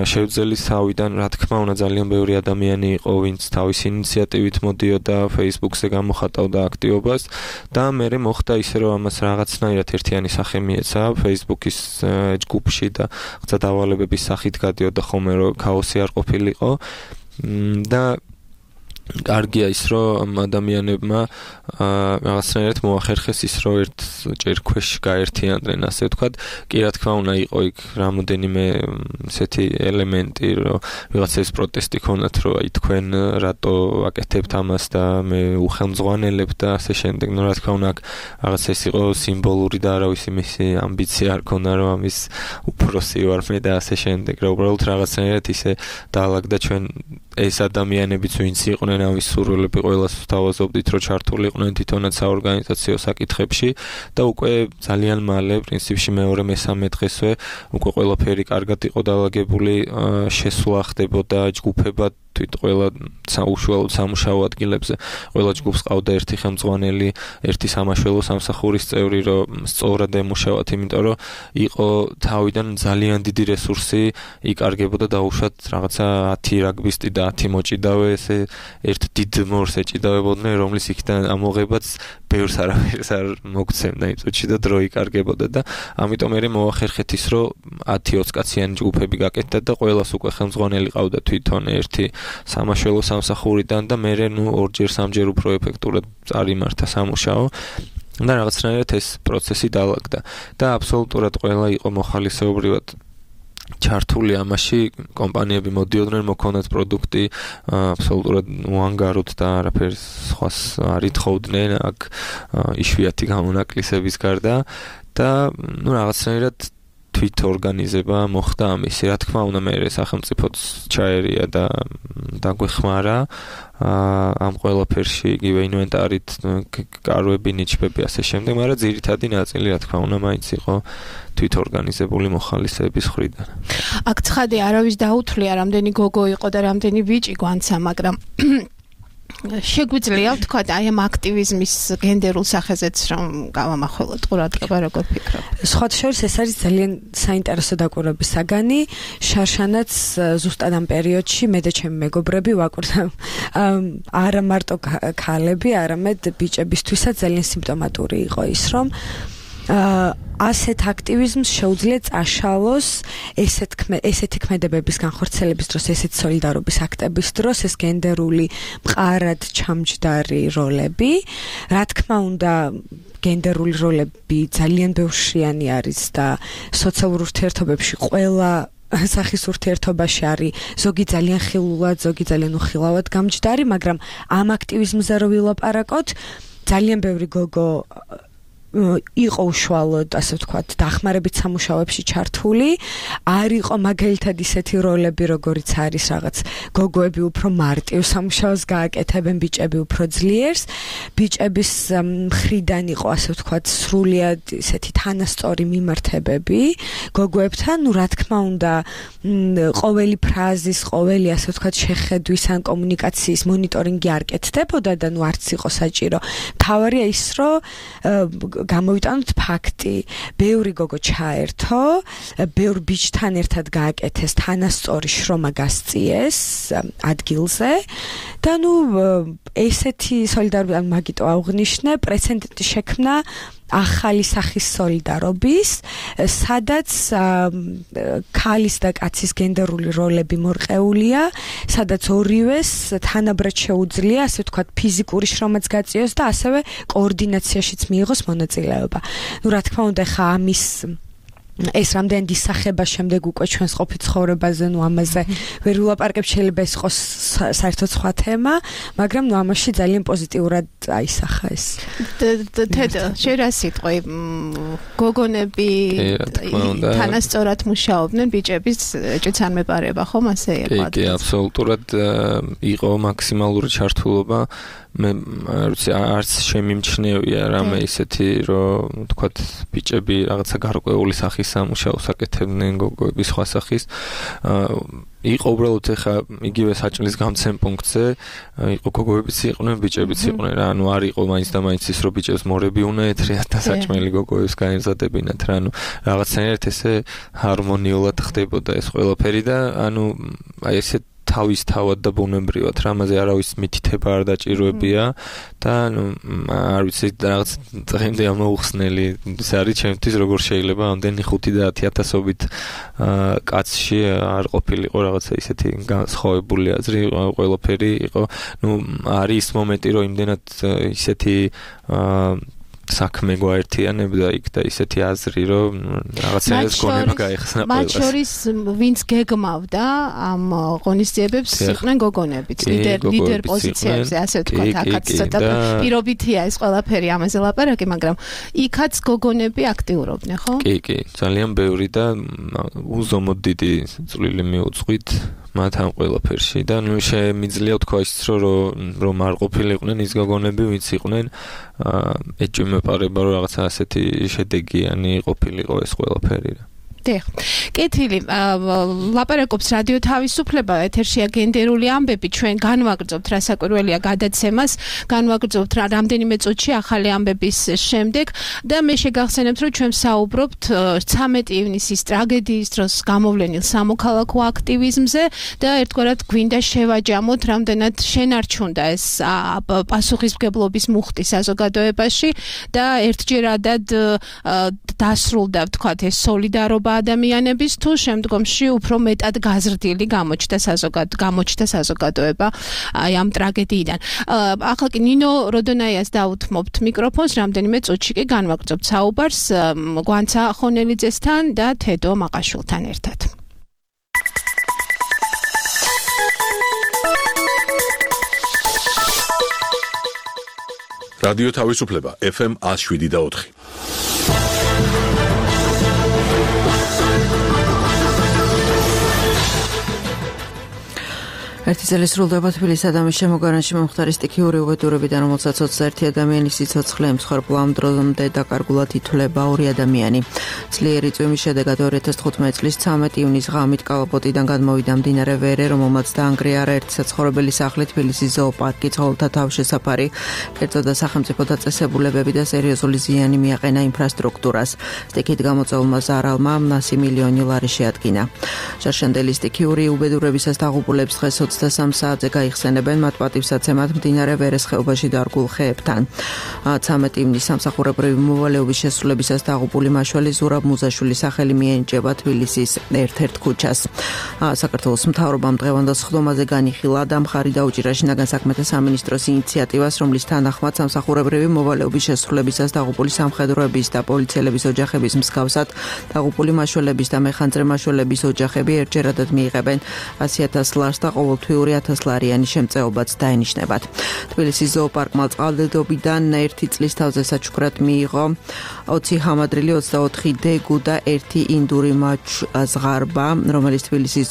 შევძელის თავიდან, რა თქმა უნდა, ძალიან ბევრი ადამიანი იყო, ვინც თავისი ინიციატივით მოდიოდა Facebook-ზე გამოხატავდა აქტივობას და მერე მოხდა ისე რომ ამას რაღაცნაირად ერთიანი სახე მიეცა Facebook-ის ჯგუფში და ხცა დავალებების სახით გადიოდა ხოლმე რომ ქაოსი არ ყოფილიყო და კარგია ის რომ ადამიანებმა რაღაცნაირად მოახერხეს ის რომ ერთჯერ ქვეშ გაერთიანდნენ ასე ვთქვათ კი რა თქმა უნდა იყო იქ რამოდენიმე ესეთი ელემენტი რომ ვიღაცას პროტესტი ქონდათ რომ აი თქვენ რატო აკეთებთ ამას და მე უხელმძღვანელებ და ასე შემდეგ ნუ რა თქმა უნდა რაღაც ეს იყო სიმბოლური და არავის მისი ამბიცია არ ქონდა რომ ამის უფროსი ვარ მე და ასე შემდეგ რა უბრალოდ რაღაცნაირად ისე დაალაგდა ჩვენ ეს ადამიანებიც ვინც იყვნენ ამის სურვილები ყველას ვთავაზობდით რომ ჩართულიყვნენ თვითონაც საორგანიზაციო საკითხებში და უკვე ძალიან მალე პრინციპში მეორე მესამე დღესვე უკვე ყველაფერი კარგად იყო დაალაგებული შესვლა ხდებოდა ჯგუფებად თვით ყველა უშუალოდ სამუშაო ადგილებზე ყველა ჯგუფს ყავდა ერთი ხელმძღვანელი ერთი სამაშველო სამსახურის წევრი რომ სწორად ემუშავათ იმიტომ რომ იყო თავიდან ძალიან დიდი რესურსი იკარგებოდა დაუშვათ რაღაცა 10 რაგბისტი და 10 მოჭიდავე ესე ერთ დიდ მორს ეჭიდავებოდნენ, რომლის იქიდან ამოღებაც ბევრს არაფერს არ მოგცემდა იმ წუთში და დრო იკარგებოდა და ამიტომ მე მოახერხეთ ის, რომ 10-20 კაციანი ჯგუფები გაკეთდა და ყველას უკვე ხელმძღვანელი ყავდა თვითონ ერთი სამაშველო სამსახურიდან და მე ორჯერ-სამჯერ უფრო ეფექტურად წარიმართა სამუშაო და რაღაცნაირად ეს პროცესი დაალაგდა და აბსოლუტურად ყველა იყო მოხალისეობრივად ჩართული ამაში, კომპანიები მოდიოდნენ, მოქონდათ პროდუქტი, აბსოლუტურად უანგაროდ და არაფერს სხვას არ ითხოვდნენ, აქ იშვიათი გამონაკლისების გარდა და რაღაცნაირად თვით ორგანიზება მოხდა ამისი. რა თქმა უნდა, მე სახელმწიფოც ჩაერია და დაგვეხმარა ამ ყველაფერში, იგივე ინვენტარით, კარვები, ნიჩბები, ასე შემდეგ, მაგრამ ძირითადი ნაწილი, რა თქმა უნდა, მაინც იყო თვით ორგანიზებული მოხალისეების მხრიდან. აქ ცხადი არავის დაუთვლია, რამდენი გოგო იყო და რამდენი ბიჭი გვანცა, მაგრამ შეგვიძლია ვთქვა აი ამ აქტივიზმის გენდერულ სახეზეც რომ გავამახვილოთ ყურადღება როგორ ფიქრობ? სხვათა შორის ეს არის ძალიან საინტერესო დაკვირვების საგანი. შარშანაც ზუსტად ამ პერიოდში მე და ჩემი მეგობრები ვაკვირდა არა მარტო ქალები, არამედ ბიჭებისთვისაც ძალიან სიმპტომატური იყო ის, რომ ასეთ აქტივიზმს შეუძლია წაშალოს ესეთი ქმედებების განხორციელების დროს, ესეთი სოლიდარობის აქტების დროს ეს გენდერული მყარად ჩამჯდარი როლები. რა თქმა უნდა, გენდერული როლები ძალიან ბევრშრიანი არის და სოციალურ ურთიერთობებში ყველა სახის ურთიერთობაში არის ზოგი ძალიან ხილულად, ზოგი ძალიან უხილავად გამჯდარი, მაგრამ ამ აქტივიზმზე რო ვილაპარაკოთ, ძალიან ბევრი გოგო იყო უშუალოდ, ასე ვთქვათ, დახმარებით სამუშაოებში ჩართული, არ იყო მაგალითად ისეთი როლები, როგორიც არის რაღაც გოგოები უფრო მარტივ სამუშაოს გააკეთებენ, ბიჭები უფრო ძლიერს. ბიჭების მხრიდან იყო, ასე ვთქვათ, სრულიად ისეთი თანასწორი მიმართებები გოგოებთან. ნუ რა თქმა უნდა, ყოველი ფრაზის, ყოველი, ასე ვთქვათ, შეხედვის ან კომუნიკაციის მონიტორინგი არ კეთდებოდა და ნუ არც იყო საჭირო. მთავარია ის, რომ გამოვიტანოთ ფაქტი, ბევრი გოგო ჩაერთო, ბევრ ბიჭთან ერთად გააკეთეს თანასწორი შრომა გასწიეს ადგილზე და ნუ ესეთი სოლიდარობა მაგიტო აღვნიშნე, პრეცედენტი შექმნა ახალი სახის სოლიდარობის, სადაც ქალის და კაცის გენდერული როლები მორყეულია, სადაც ორივეს თანაბრად შეუძლია, ასე ვთქვათ, ფიზიკური შრომაც გაწიოს და ასევე კოორდინაციაშიც მიიღოს მონაწილეობა. ნუ რა თქმა უნდა, ხა ამის ეს რამდენი ისახება შემდეგ უკვე ჩვენს ყოფით ცხოვრებაზე, ნუ ამაზე ვერ ვილაპარაკებ, შეიძლება ეს იყოს საერთოდ სხვა თემა, მაგრამ ნუ ამაში ძალიან პოზიტიურად აისახა ეს. თედო, შენ რა სიტყვი, გოგონები თანასწორად მუშაობდნენ ბიჭების ჭიცარმეპარება, ხომ ასე იყო? კი, აბსოლუტურად იყო მაქსიმალური ჩართულობა. მე არც შემიმჩნევია რამე ისეთი, რომ თქვათ ბიჭები რაღაცა გარკვეული სახის სამუშაოს აკეთებდნენ, გოგოები სხვა სახის. იყო უბრალოდ ეხა იგივე საჭმლის გამცემ პუნქტზე, იყო გოგოებიც იყვნენ, ბიჭებიც იყვნენ რა, ანუ არ იყო მაინც და მაინც ის, რომ ბიჭებს მორები უნდა ეთრიათ და საჭმელი გოგოებს გაემზადებინათ რა, ანუ რაღაცნაირად ესე ჰარმონიულად ხდებოდა ეს ყველაფერი და ანუ აი ესე თავის თავად და ბუნებრივად რამაზე არავის მითითება არ დაჭიროებია და ნუ არ ვიცი რაღაც დღემდე ამოუხსნელი ის არის ჩემთვის როგორ შეიძლება ამდენი 5 და 10,000-ობით კაცში არ ყოფილიყო რაღაცა ისეთი განსხვავებული აზრი ყველაფერი იყო ნუ არის მომენტი რომ იმდენად ისეთი საქმე გვაერთიანებდა იქ და ისეთი აზრი რომ რაღაცას გონება გაიხსნა ყველას. მათ შორის ვინც გეგმავდა ამ ღონისძიებებს იყვნენ გოგონებიც, ლიდერ პოზიციებზე, ასე ვთქვათ, აქაც ცოტა პირობითია ეს ყველაფერი ამაზე ლაპარაკი, მაგრამ იქაც გოგონები აქტიურობდნენ, ხო? კი, ძალიან ბევრი და უზომოდ დიდი წვლილი მიუძღვით მათ ამ ყველაფერში და ნუ შემიძლია თქვა ის რომ არ ყოფილიყვნენ ის გოგონები ვინც იყვნენ ეჭვმეპარება რომ რაღაცა ასეთი შედეგიანი ყოფილიყო ეს ყველაფერი რა. დიახ. კეთილი, ლაპარაკობს რადიო თავისუფლება, ეთერშია გენდერული ამბები, ჩვენ განვაგრძობთ რასაკვირველია გადაცემას, განვაგრძობთ რამდენიმე წუთში ახალი ამბების შემდეგ და მე შეგახსენებთ, რომ ჩვენ საუბრობთ 13 ივნისის ტრაგედიის დროს გამოვლენილ სამოქალაქო აქტივიზმზე და ერთგვარად გვინდა შევაჯამოთ, რამდენად შენარჩუნდა ეს პასუხისმგებლობის მუხტი საზოგადოებაში და ერთჯერადად დასრულდა, ვთქვათ, ეს სოლიდარობა ადამიანების თუ შემდგომში უფრო მეტად გაზრდილი გამოჩნდა საზოგადოება აი ამ ტრაგედიიდან. ახლა კი ნინო როდონაიას დაუთმობთ მიკროფონს, რამდენიმე წუთში კი განვაგრძობთ საუბარს გვანცა ხონელიძესთან და თედო მაყაშვილთან ერთად. რადიო თავისუფლება FM 107.4. ერთი წელი სრულდება თბილისსა და მის შემოგარენში მომხდარი სტიქიური უბედურებიდან, რომელსაც 21 ადამიანის სიცოცხლე ემსხვერპლა, ამ დრომდე დაკარგულად ითვლება 2 ადამიანი. ძლიერი წვიმის შედეგად 2015 წლის 13 ივნისს ღამით კალაპოტიდან გადმოვიდა მდინარე ვერე, რომელმაც დაანგრიარა ერთი საცხოვრებელი სახლი, თბილისის ზოოპარკი, ცხოველთა თავშესაფარი, კერძო და სახელმწიფო დაწესებულებები და სერიოზული ზიანი მიაყენა ინფრასტრუქტურას. სტიქით გამოწვეულმა ზარალმა 100 მილიონი ლარი შეადგინა. შარშანდელი სტიქიური უბედურებისას დაღუპულებს დღეს 23 საათზე გაიხსენებენ მათ პატივსაცემად მდინარე ვერეს ხეობაში დარგულ ხეებთან. 13 ივნისს სამსახურებრივი მოვალეობის შესრულებისას დაღუპული მაშველი ზურაბ მუზაშვილის სახელი მიენიჭება თბილისის ერთ-ერთ ქუჩას. საქართველოს მთავრობამ დღევანდელ სხდომაზე განიხილა და მხარი დაუჭირა შინაგან საქმეთა სამინისტროს ინიციატივას, რომლის თანახმად სამსახურებრივი მოვალეობის შესრულებისას დაღუპული სამხედროების და პოლიციელების ოჯახების მსგავსად დაღუპული მაშველების და მეხანძრე მაშველების ოჯახები ერთჯერადად მიიღებენ 100,000 ლარს და ყოველთვიური 1000 ლარიანი შემწეობაც დაენიშნებათ. თბილისის ზოოპარკმა წყალდიდობიდან 1 წლის თავზე საჩუქრად მიიღო 20 ჰამადრილი, 24 დეგუ და 1 ინდური ზღარბა, რომელიც თბილისის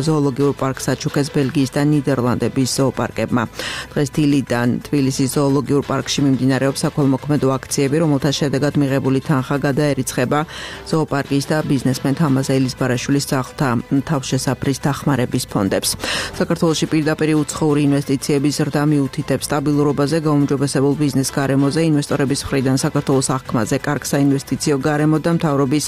ზოოლოგიურ პარკს აჩუქეს ბელგიის და ნიდერლანდების ზოოპარკებმა. დღეს დილიდან თბილისის ზოოლოგიურ პარკში მიმდინარეობს საქველმოქმედო აქციები, რომელთა შედეგად მიღებული თანხა გადაერიცხება ზოოპარკის და ბიზნესმენ თამაზ ელიზბარაშვილის სახლთა თავშესაფრის დახმარების ფონდებს. საქართველოში პირდაპირ უცხოური ინვესტიციების ზრდა მიუთითებს სტაბილურობაზე, გაუმჯობესებულ ბიზნეს გარემოზე, ინვესტორების მხრიდან საქართველოს აღქმაზე, კარგ საინვესტიციო გარემო და მთავრობის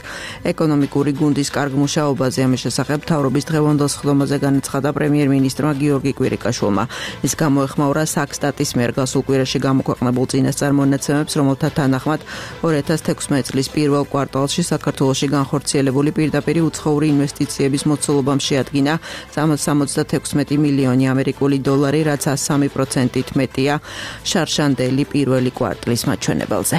ეკონომიკური გუნდის კარგ მუშაობაზე. ამის შესახებ მთავრობის დღევანდელ სხდომაზე განაცხადა პრემიერ-მინისტრმა გიორგი კვირიკაშვილმა. ის გამოეხმაურა საქსტატის მიერ გასულ კვირაში გამოქვეყნებულ წინასწარ მონაცემებს, რომელთა თანახმად 2016 წლის პირველ კვარტალში საქართველოში განხორციელებული პირდაპირ უცხოური ინვესტიციების მოცულობამ შეადგინა 76 მილიონი ამერიკული დოლარი, რაც 103%-ით მეტია შარშანდელი პირველი კვარტლის მაჩვენებელზე.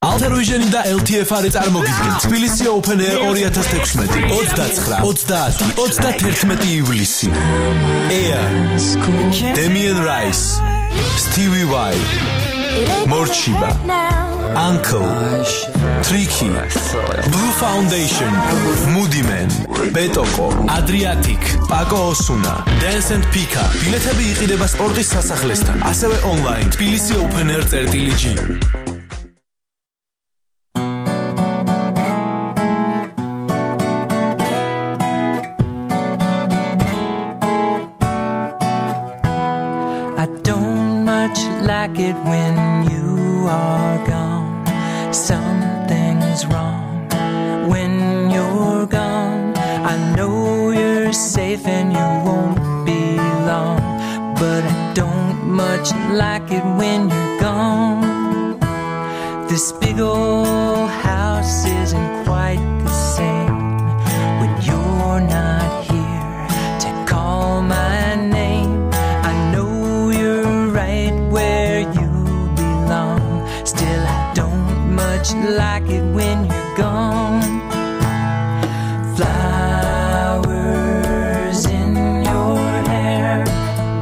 Alter Vision და LTFR-ი წარმოგიდგენ თბილისი Open Air 2016 29-30-31 ივლისი. Air, Damien Rice, Stevie Y, Morchiba, Uncle, Tricky, Blue Foundation, Moody Man, Betoko, Adriatic, Paco Osuna, Dance and Pika. ბილეთები იყიდება სპორტის სასახლესთან, ასევე online თბილისი Open Air.g. Like it when you are gone. Something's wrong when you're gone. I know you're safe and you won't be long, but I don't much like it when you're gone. This big old house isn't quite the same when you're not here to call my name. I know you're right where you belong. Still, I don't much like it when you're gone. Flowers in your hair,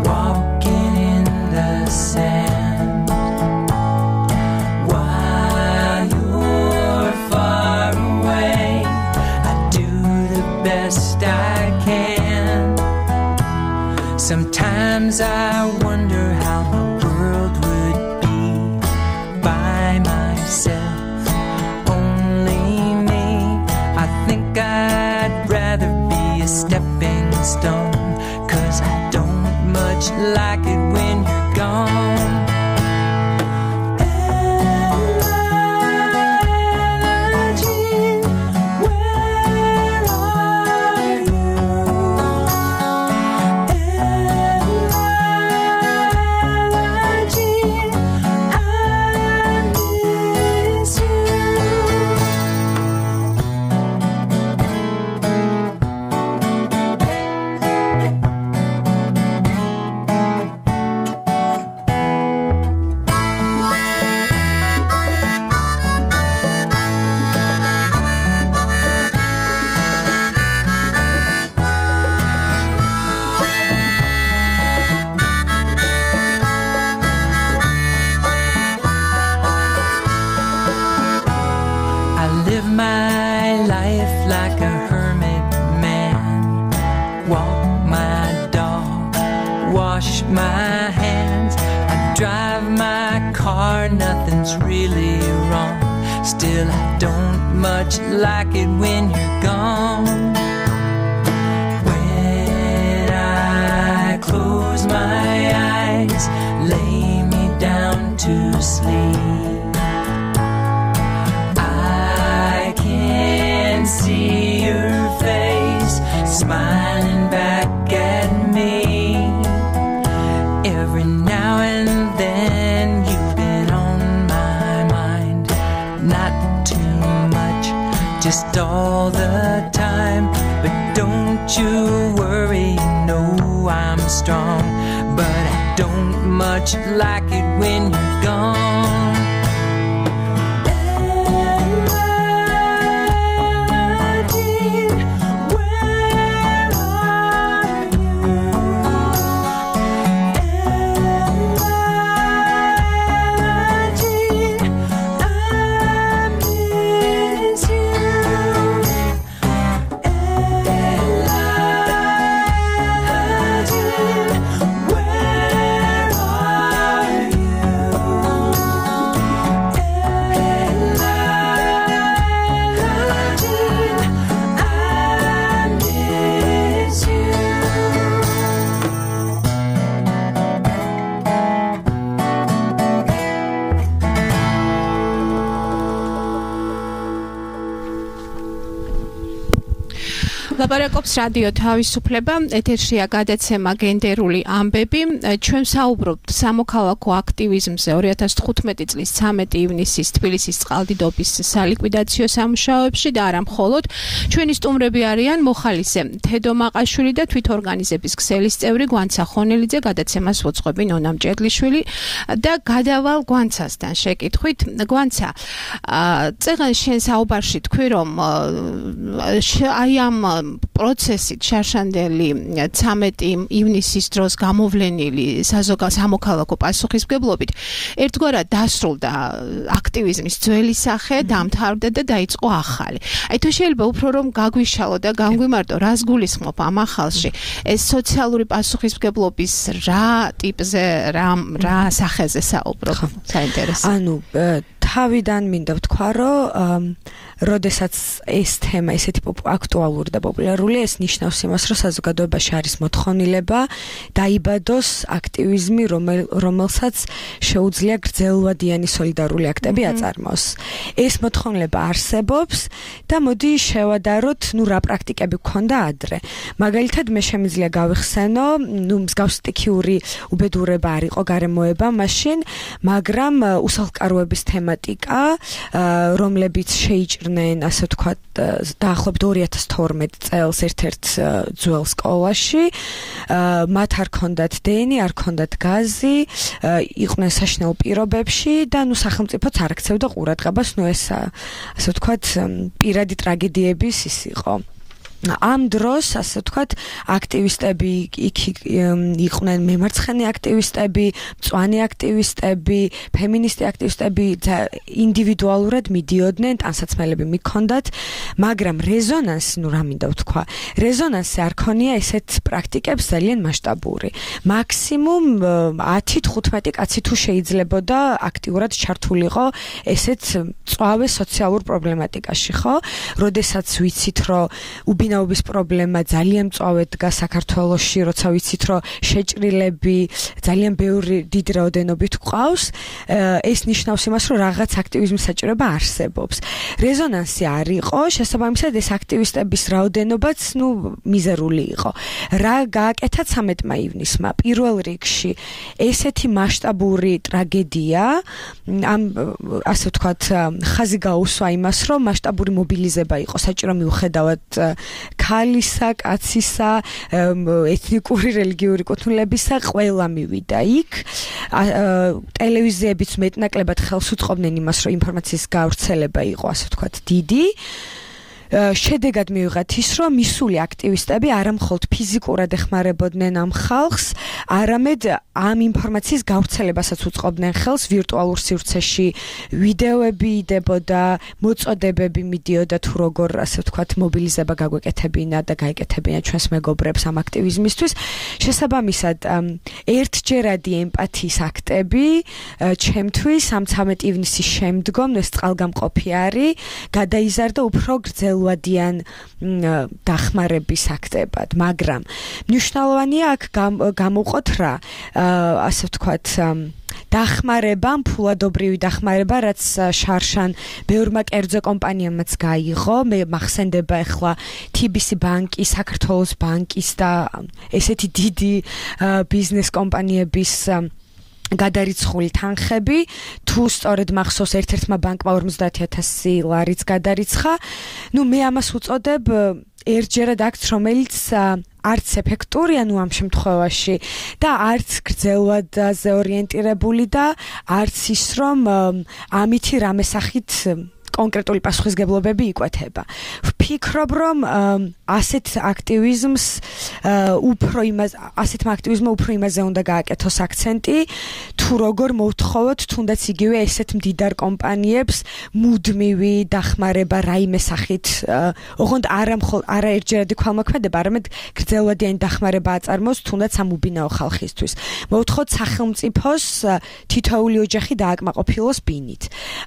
walking in the sand. While you're far away, I do the best I can. Sometimes I wonder how my world a stepping stone, 'cause I don't much like it when you're gone. Really wrong. Still, I don't much like it when you're gone. When I close my eyes, lay me down to sleep, I can see your face smiling back at me. Every now and then you've been on just all the time, but don't you worry, you know I'm strong, but I don't much like it when you're gone. ლაპარაკობს რადიო თავისუფლება, ეთერშია გადაცემა გენდერული ამბები. ჩვენ საუბრობთ სამოქალაქო აქტივიზმზე 2015 წლის 13 ივნისის თბილისის წყალდიდობის სალიკვიდაციო სამუშაოებში და არა მხოლოდ. ჩვენი სტუმრები არიან მოხალისე თედო მაყაშვილი და თვითორგანიზების ქსელის წევრი გვანცა ხონელიძე, გადაცემას ვუძღვები ნონა მჭედლიშვილი და გადავალ გვანცასთან შეკითხვით. გვანცა, წეგან შენ საუბარში თქვი, რომ აი ამ პროცესით შარშანდელი 13 ივნისის დროს გამოვლენილი სამოქალაქო პასუხისმგებლობით ერთგვარად დასრულდა აქტივიზმის ძველი სახე, დამთავრდა და დაიწყო ახალი. აი თუ შეიძლება უფრო რომ გაგვიშალო და განგვიმარტო, რას გულისხმობ ამ ახალში? ეს სოციალური პასუხისმგებლობის რა ტიპზე, რა სახეზე საუბრობ? საინტერესო. ანუ თავიდან მინდა ვთქვა, რომ როდესაც ეს თემა ესეთი აქტუალური და პოპულარულია, ეს ნიშნავს იმას, რომ საზოგადოებაში არის მოთხოვნილება დაიბადოს აქტივიზმი, რომელსაც შეუძლია გრძელვადიანი სოლიდარული აქტები აწარმოოს. ეს მოთხოვნილება არსებობს და მოდი შევადაროთ, რა პრაქტიკები გქონდა ადრე. მაგალითად, მე შემიძლია გავიხსენო, მსგავს სტიქიური უბედურება არ იყო გარემოება მაშინ, მაგრამ უსახლკაროების თემატიკა, რომლებიც შეიჭრნენ, ასე ვთქვათ, დაახლოებით 2012 წელს ერთ-ერთ ძველ სკოლაში, მათ არ ქონდათ დენი, არ ქონდათ გაზი, იყვნენ საშინაო პირობებში და სახელმწიფოც არ აქცევდა ყურადღებას, ეს ასე ვთქვათ, პირადი ტრაგედიების ის იყო. ამ დროს, ასე ვთქვათ, აქტივისტები იქ იყვნენ მემარცხენე აქტივისტები, მწვანე აქტივისტები, ფემინისტი აქტივისტები, ინდივიდუალურად მიდიოდნენ, ტანსაცმელები მიქონდათ, მაგრამ რეზონანსი, რა მინდა ვთქვა, რეზონანსი არ ქონია ესეთ პრაქტიკებს ძალიან მასშტაბური. მაქსიმუმ 10-15 კაცი თუ შეიძლებოდა აქტიურად ჩართულიყო ესეთ მწვავე სოციალურ პრობლემატიკაში, ხო? როდესაც ვიცით, რომ მეურნეობის პრობლემა ძალიან მწვავედ დგას საქართველოში, როცა ვიცით, რომ შეჭრილები ძალიან ბევრი დიდი რაოდენობით გვყავს, ეს ნიშნავს იმას, რომ რაღაც აქტივიზმის საჭიროება არსებობს. რეზონანსი არ იყო, შესაბამისად ეს აქტივისტების რაოდენობაც, მიზერული იყო. რა გააკეთა 13 ივნისმა? პირველ რიგში ესეთი მასშტაბური ტრაგედია, ამ ასე ვთქვათ, ხაზი გაუსვა იმას, რომ მასშტაბური მობილიზება იყო საჭირო მიუხედავად ქალისა, კაცისა, ეთნიკური, რელიგიური კუთვნილებისა, ყველა მივიდა იქ. ტელევიზიებიც მეტნაკლებად ხელს უწყობდნენ იმას, რომ ინფორმაციის გავრცელება იყო, ასე ვთქვათ, დიდი. შედეგად მივიღეთ ის, რომ მისული აქტივისტები არამხოლოდ ფიზიკურად ეხმარებოდნენ ამ ხალხს, არამედ ამ ინფორმაციის გავრცელებასაც უწყობდნენ ხელს ვირტუალურ სივრცეში, ვიდეოები იდებოდა, მოწოდებები მიდიოდა თუ როგორ, ასე ვთქვათ, მობილიზება გაგვეკეთებინა და გაეკეთებინა ჩვენს მეგობრებს ამ აქტივიზმისთვის. შესაბამისად, ერთჯერადი ემპათიის აქტები ჩემთვის ამ 13 ივნისის შემდგომ ეს წყალგამყოფი არის, გადაიზარდა უფრო გრძელვადიან დახმარების აქტებად, მაგრამ მნიშვნელოვანია აქ გამოვყოთ რა, ასე ვთქვათ, დახმარება, ფულადობრივი დახმარება, რაც შარშან ბევრმა კერძო კომპანიამაც გაიღო, მე მახსენდება ახლა TBC ბანკი, საქართველოს ბანკის და ესეთი დიდი ბიზნეს კომპანიების გადარიცხული თანხები, თუ სწორედ მახსოვს ერთ-ერთმა ბანკმა 50,000 ლარიც გადარიცხა. მე ამას უწოდებ ერთჯერად აქ, რომელიც არც ეფექტურია ამ შემთხვევაში და არც გრძელვადაზე ორიენტირებული და არც ის, რომ ამითი რამე სახით კონკრეტული პასუხისგებლობები იკვეთება. ვფიქრობ, რომ ასეთ აქტივიზმმა უფრო იმაზე უნდა გააკეთოს აქცენტი, თუ როგორ მოვთხოვოთ თუნდაც იგივე ესეთ მდიდარ კომპანიებს მუდმივი დახმარება რაიმე სახით, ოღონდ არა ერთჯერადი ქვალმოქმედება, არამედ გრძელვადიანი დახმარება აწარმოოს თუნდაც ამ უბინაო ხალხისთვის. მოვთხოვოთ სახელმწიფოს თითოეული ოჯახი დააკმაყოფილოს ბინით.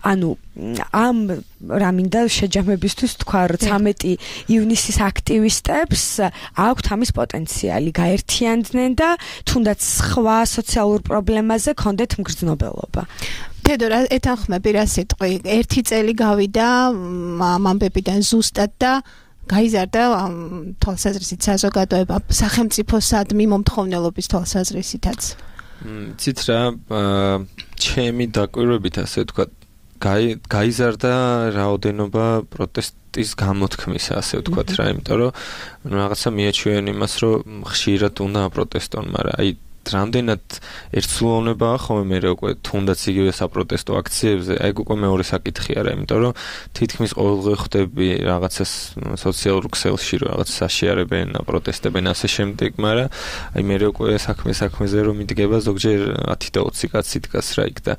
ამ რამინდა შეჯამებისთვის თქვა, რომ 13 ივნისის აქტივისტებს აქვთ ამის პოტენციალი, გაერთიანდნენ და თუნდაც სხვა სოციალურ პრობლემაზე ქონდეთ მგრძნობელობა. თედორ, ეთანხმები რა სიტყვი, 1 წელი გავიდა ამ ამბებიდან ზუსტად და გაიზარდა თვალსაზრისით საზოგადოება სახელმწიფოსადმი მომთხოვნელობის თვალსაზრისითაც. ცით რა, ჩემი დაკვირვებით ასე ვთქვათ, გაიზარდა რაოდენობა პროტესტის გამოთქმისა, ასე ვთქვათ რა, იმიტომ რომ რაღაცა მიაჩვენ იმას, რომ ხშირად უნდა აპროტესტონ, მაგრამ რამდენად ერთსულოვნებაა ხოლმე მე უკვე თუნდაც იგივე საპროტესტო აქციებზე, უკვე მეორე საკითხი არა, იმიტომ რომ თითქმის ყოველდღე ხვდები რაღაცას სოციალურ ქსელში, რომ რაღაც საშიარებენ, აპროტესტებენ ასე შემდეგ, მაგრამ მე უკვე საქმეზე რომ მიდგება ზოგჯერ 10 და 20 კაცი დგას რა იქ და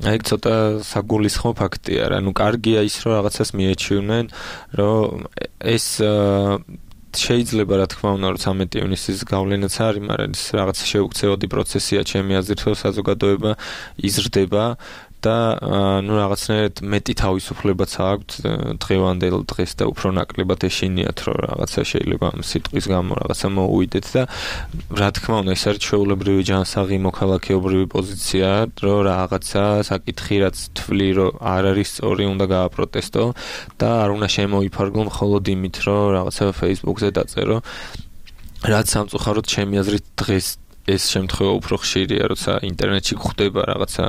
ცოტა საგულისხმო ფაქტია რა, კარგია ის, რომ რაღაცას მიეჩვენენ, რომ ეს შეიძლება რა თქმა უნდა, რომ 13 ივნისის გავლენაც არის, მაგრამ ეს რაღაც შეუქცევადი პროცესია, ჩემი აზრით, რომ საზოგადოება იზრდება და რაღაცნაირად მეტი თავისუფლებაც აქვთ დღევანდელ დღეს და უფრო ნაკლებად ეშინიათ, რომ რაღაცა შეიძლება ამ სიტყვის გამო რაღაცა მოუვიდეთ და რა თქმა უნდა, ეს არის ჩვეულებრივი ჯანსაღი მოქალაქეობრივი პოზიცია, რომ რაღაცა საკითხი რაც თვლი, რომ არ არის სწორი, უნდა გააპროტესტო და არ უნდა შემოიფარგლო მხოლოდ იმით, რომ რაღაცა Facebook-ზე დაწერო, რაც სამწუხაროდ ჩემი აზრით დღეს ეს შემთხვევა უფრო ხშირია, როცა ინტერნეტში გვხვდება რაღაცა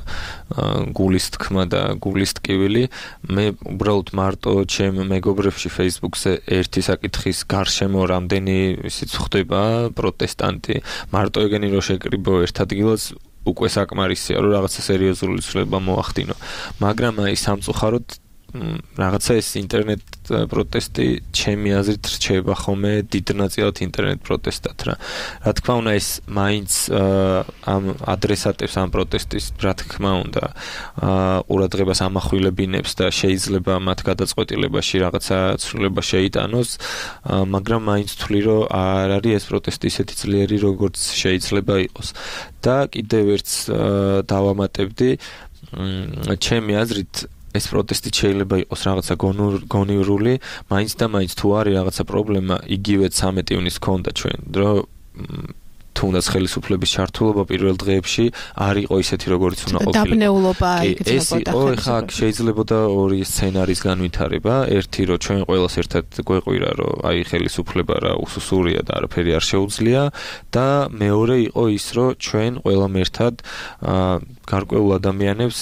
გულის თქმა და გულის ტკივილი. მე უბრალოდ მარტო ჩემ მეგობრებში Facebook-ზე ერთი საკითხის გარშემო რამდენი ისიც ხდება პროტესტანტი, მარტო ეგენი რო შეკრიბო ერთ ადგილას უკვე საკმარისია, რომ რაღაცა სერიოზული ცვლილება მოახდინო. მაგრამ აი სამწუხაროდ რაღაცა ეს ინტერნეტ პროტესტი ჩემი აზრით რჩება ხოლმე დიდ ნაწილად ინტერნეტ პროტესტად რა. რა თქმა უნდა ეს მაინც ამ ადრესატებს ამ პროტესტის რა თქმა უნდა ყურადღებას ამახვილებინებს და შეიძლება მათ გადაწყვეტილებაში რაღაცა ცვლილება შეიტანოს, მაგრამ მაინც თვლი რომ არ არის ეს პროტესტი ისეთი ძლიერი როგორც შეიძლება იყოს. და კიდევ ერთს დავამატებდი, ჩემი აზრით ეს პროტესტი შეიძლება იყოს რაღაცა გონივრული, მაინც და მაინც თუ არის რაღაცა პრობლემა, იგივე 13 ივნის ქონდა ჩვენ, რომ თუნდაც ხელისუფლების ჩართულობა პირველ დღეებში არ იყო ისეთი, როგორც უნდა ყოფილიყო. დაბნეულობა იგრძნობდა. ეხლა შეიძლებოდა ორი სცენარის განვითარება, ერთი რომ ჩვენ ყველას ერთად გვეყვირა, რომ აი ხელისუფლება რა უსუსურია და არაფერი არ შეუძლია და მეორე იყო ის, რომ ჩვენ ყველამ ერთად გარკვეულ ადამიანებს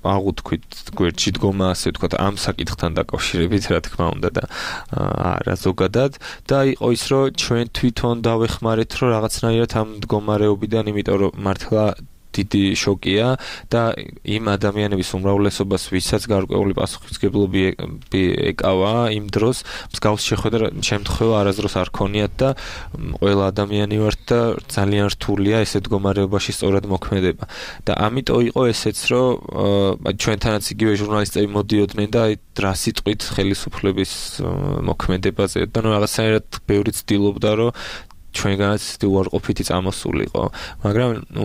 აღუთქვით გვერდში დგომა, ასე ვთქვათ, ამ საკითხთან დაკავშირებით, რა თქმა უნდა და არა ზოგადად და იყო ის, რომ ჩვენ თვითონ დავეხმარეთ, რომ რაღაცნაირად ამ მდგომარეობიდან, იმიტომ რომ მართლა დიდი შოკია და იმ ადამიანების უმრავლესობას, ვისაც გარკვეული პასუხისმგებლობა ეკავა იმ დროს, მსგავს შემთხვევა არასდროს არ ქონიათ და ყველა ადამიანი ვართ და ძალიან რთულია ესე მდგომარეობაში სწორად მოქმედება. და ამიტომ იყო ესეც, რომ ჩვენთანაც იგივე ჟურნალისტები მოდიოდნენ და აი რა სიტყვით ხელისუფლების მოქმედებაზე და ნუ რაღაცნაირად ბევრი ცდილობდა, რომ ჩვენგანაც უარყოფითი წამოსულიყო, მაგრამ ნუ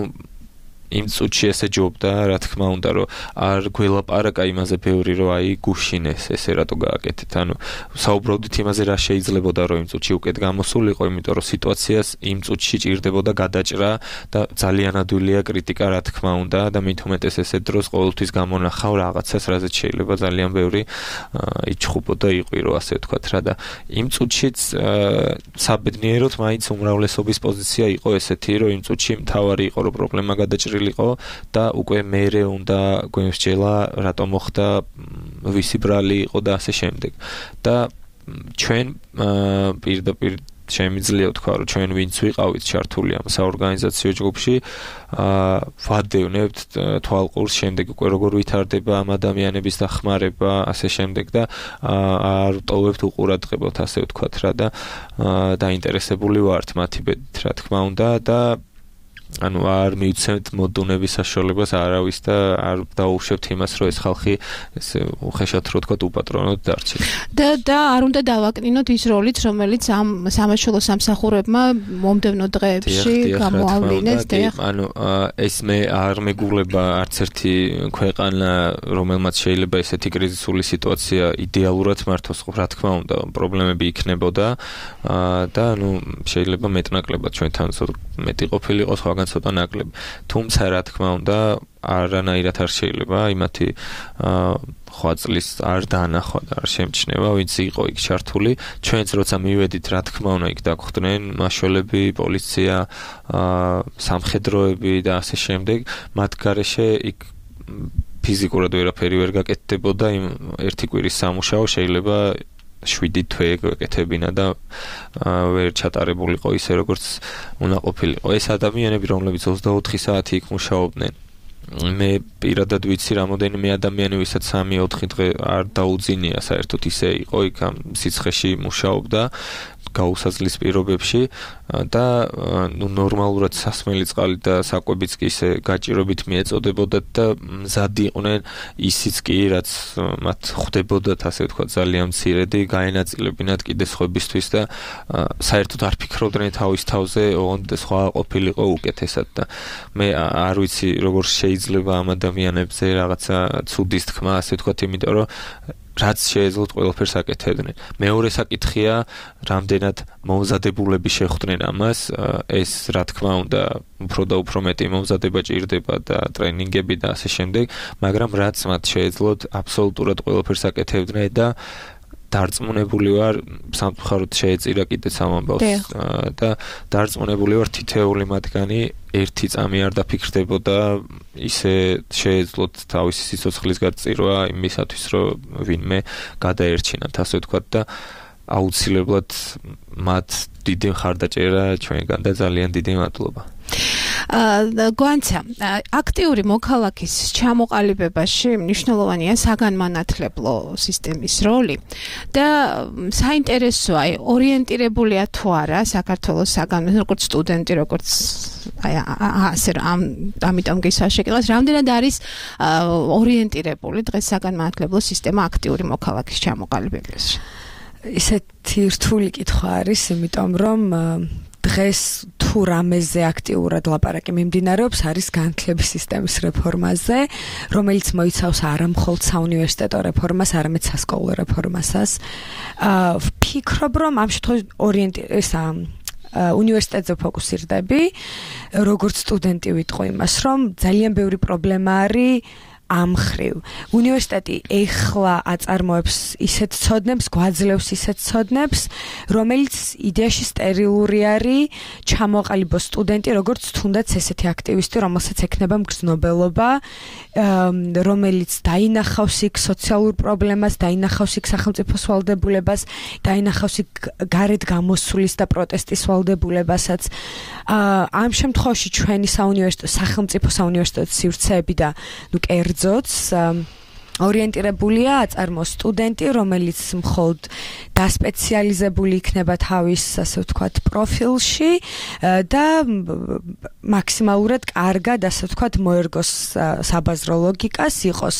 იმ წუთში ესე ჯობდა, რა თქმა უნდა, რომ არ გველაპარაკა იმაზე ბევრი, რომ აი გუშინეს, ესე რატო გააკეთეთ. ანუ საუბრობდით იმაზე, რა შეიძლებოდა, რომ იმ წუთში უკეთ გამოსულიყო, იმიტომ რომ სიტუაციას იმ წუთში ჭირდებოდა გადაჭრა და ძალიან ადვილია კრიტიკა, რა თქმა უნდა, და მით უმეტეს ესე დროს ყოველთვის გამონახავ რაღაცას, რაზეც შეიძლება ძალიან ბევრი იჩხუბო და იყვირო, ასე ვთქვათ რა და იმ წუთშიც საბედნიეროდ მაინც უმრავლესობის პოზიცია იყო ესეთი, რომ იმ წუთში მთავარი იყო, რომ პრობლემა გადაჭრილი და უკვე მერე უნდა გვემსჯელა რატომ მოხდა ვისი ბრალი იყო და ასე შემდეგ და ჩვენ პირდაპირ შემიძლია ვთქვა რომ ჩვენ ვინც ვიყავით ჩართული ამ საორგანიზაციო ჯგუფში ვადევნებთ თვალყურს შემდეგ უკვე როგორ ვითარდება ამ ადამიანების დახმარება ასე შემდეგ და არ ვტოვებთ უყურადღებოთ ასე ვთქვათ რა და დაინტერესებული ვართ მათი ბედით რა თქმა უნდა და ანუ არ მივცემთ მოდუნების საშუალებას არავის და არ დაუშვებთ იმას, რომ ეს ხალხი ესე უხეშად რო თქვა უპატრონოდ დარჩეს. და არ უნდა დავაკნინოთ ის როლიც, რომელიც ამ სამაშველო სამსახურებმა მომდევნო დღეებში გამოავლინეს და ანუ ეს მე არ მეგულება არც ერთი ქვეყანა, რომელმაც შეიძლება ესეთი კრიზისული სიტუაცია იდეალურად მართოს, რა თქმა უნდა, პრობლემები იქნებოდა და ანუ შეიძლება მეტნაკლებად ჩვენთან მეტი ყოფილიყო სხვა ცოტა ნაკლები. თუმცა რა თქმა უნდა, არანაირად არ შეიძლება იმათი ხვაწლის არ დაანახვა და არ შემჩნევა, ვინც იყო იქ ჩართული. ჩვენც როცა მივედით, რა თქმა უნდა, იქ დაგხვდნენ მაშველები, პოლიცია, სამხედროები და ასე შემდეგ. მათ გარეშე იქ ფიზიკურად ვერაფერი ვერ გაკეთდებოდა, იმ ერთი კვირის სამუშაო შეიძლება 7 თვე გეკეთებინა და ვერ ჩატარებულიყო ისე როგორც უნდა ყოფილიყო. ეს ადამიანები, რომლებიც 24 საათი იქ მუშაობდნენ, მე პირადად ვიცი რამოდენიმე ადამიანი, ვისაც 3-4 დღე არ დაუძინია საერთოდ ისე იყო იქ ამ სიცხეში მუშაობდა გაუსაძლის პირობებში და ნუ ნორმალურად სასმელი წყალი და საკვებიც კი ისე გაჭირობით მიეწოდებოდათ და მზად იყვნენ ისიც კი რაც მათ ხვდებოდათ ასე ვთქვათ ძალიან მცირედი გაენაწილებინათ კიდე სხვებისთვის და საერთოდ არ ფიქრობდნენ თავის თავზე ოღონდ სხვა ყოფილიყო უკეთესად და მე არ ვიცი როგორ შეიძლება ამ ადამიანებზე რაღაცა ცუდის თქმა ასე ვთქვათ იმიტომ რომ რაც შეეძლოთ ყველაფერს აკეთებდნენ. მეორე საკითხია, რამდენად მომზადებულები შეხვდნენ ამას, ეს რა თქმა უნდა, უფრო და უფრო მეტი მომზადება ჭირდება და ტრენინგები და ასე შემდეგ, მაგრამ რაც მათ შეეძლოთ, აბსოლუტურად ყველაფერს აკეთებდნენ და დარწმუნებული ვარ, სამწუხაროდ შეეწირა კიდეც ამ ამბავს და დარწმუნებული ვარ თითოეული მათგანი ერთი წამი არ დაფიქრდებოდა ისე შეეძლოთ თავისი სიცოცხლის გაწირვა იმისათვის რომ ვინმე გადაერჩინათ ასე ვთქვათ და აუცილებლად მათ დიდი მხარდაჭერა ჩვენგან და ძალიან დიდი მადლობა. გვანცა, აქტიური მოქალაქის ჩამოყალიბებაში მნიშვნელოვანია საგანმანათლებლო სისტემის როლი და საინტერესოა, ორიენტირებულია თუ არა საქართველოს როგორც სტუდენტი, როგორც ასე ამიტომ გისაშეკელას, რამდენად არის ორიენტირებული დღეს საგანმანათლებლო სისტემა აქტიური მოქალაქის ჩამოყალიბებაში? ისეთი რთული კითხვა არის, იმიტომ რომ დღეს თუ თუ რამეზე აქტიურად ლაპარაკი მიმდინარეობს, არის განათლების სისტემის რეფორმაზე, რომელიც მოიცავს არა მხოლოდ საუნივერსიტეტო რეფორმას, არამედ სასკოლო რეფორმასაც. ვფიქრობ, რომ ამ შემთხვევაში უნივერსიტეტზე ფოკუსირდები, როგორც სტუდენტი ვიტყვი იმას, რომ ძალიან ბევრი პრობლემა არის ამ ხრივ. უნივერსიტეტი ეხლა აწარმოებს ისეთ ცოდნებს, გვაძლევს ისეთ ცოდნებს, რომელიც იდეაში სტერილური არის, ჩამოყალიბოს სტუდენტი, როგორც თუნდაც ესეთი აქტივისტი, რომელსაც ექნება მგრძნობელობა, რომელიც დაინახავს იქ სოციალურ პრობლემას, დაინახავს იქ სახელმწიფოს ვალდებულებას, დაინახავს იქ გარეთ გამოსulis და პროტესტის ვალდებულებასაც. ამ შემთხვევაში ჩვენი სახელმწიფო საუნივერსიტეტო სივრცეები და კერძოც ორიენტირებულია აწარმოოს სტუდენტი, რომელიც მხოლოდ დასპეციალიზებული იქნება თავის, ასე ვთქვათ, პროფილში და მაქსიმალურად კარგად, ასე ვთქვათ, მოერგოს საბაზრო ლოგიკას, იყოს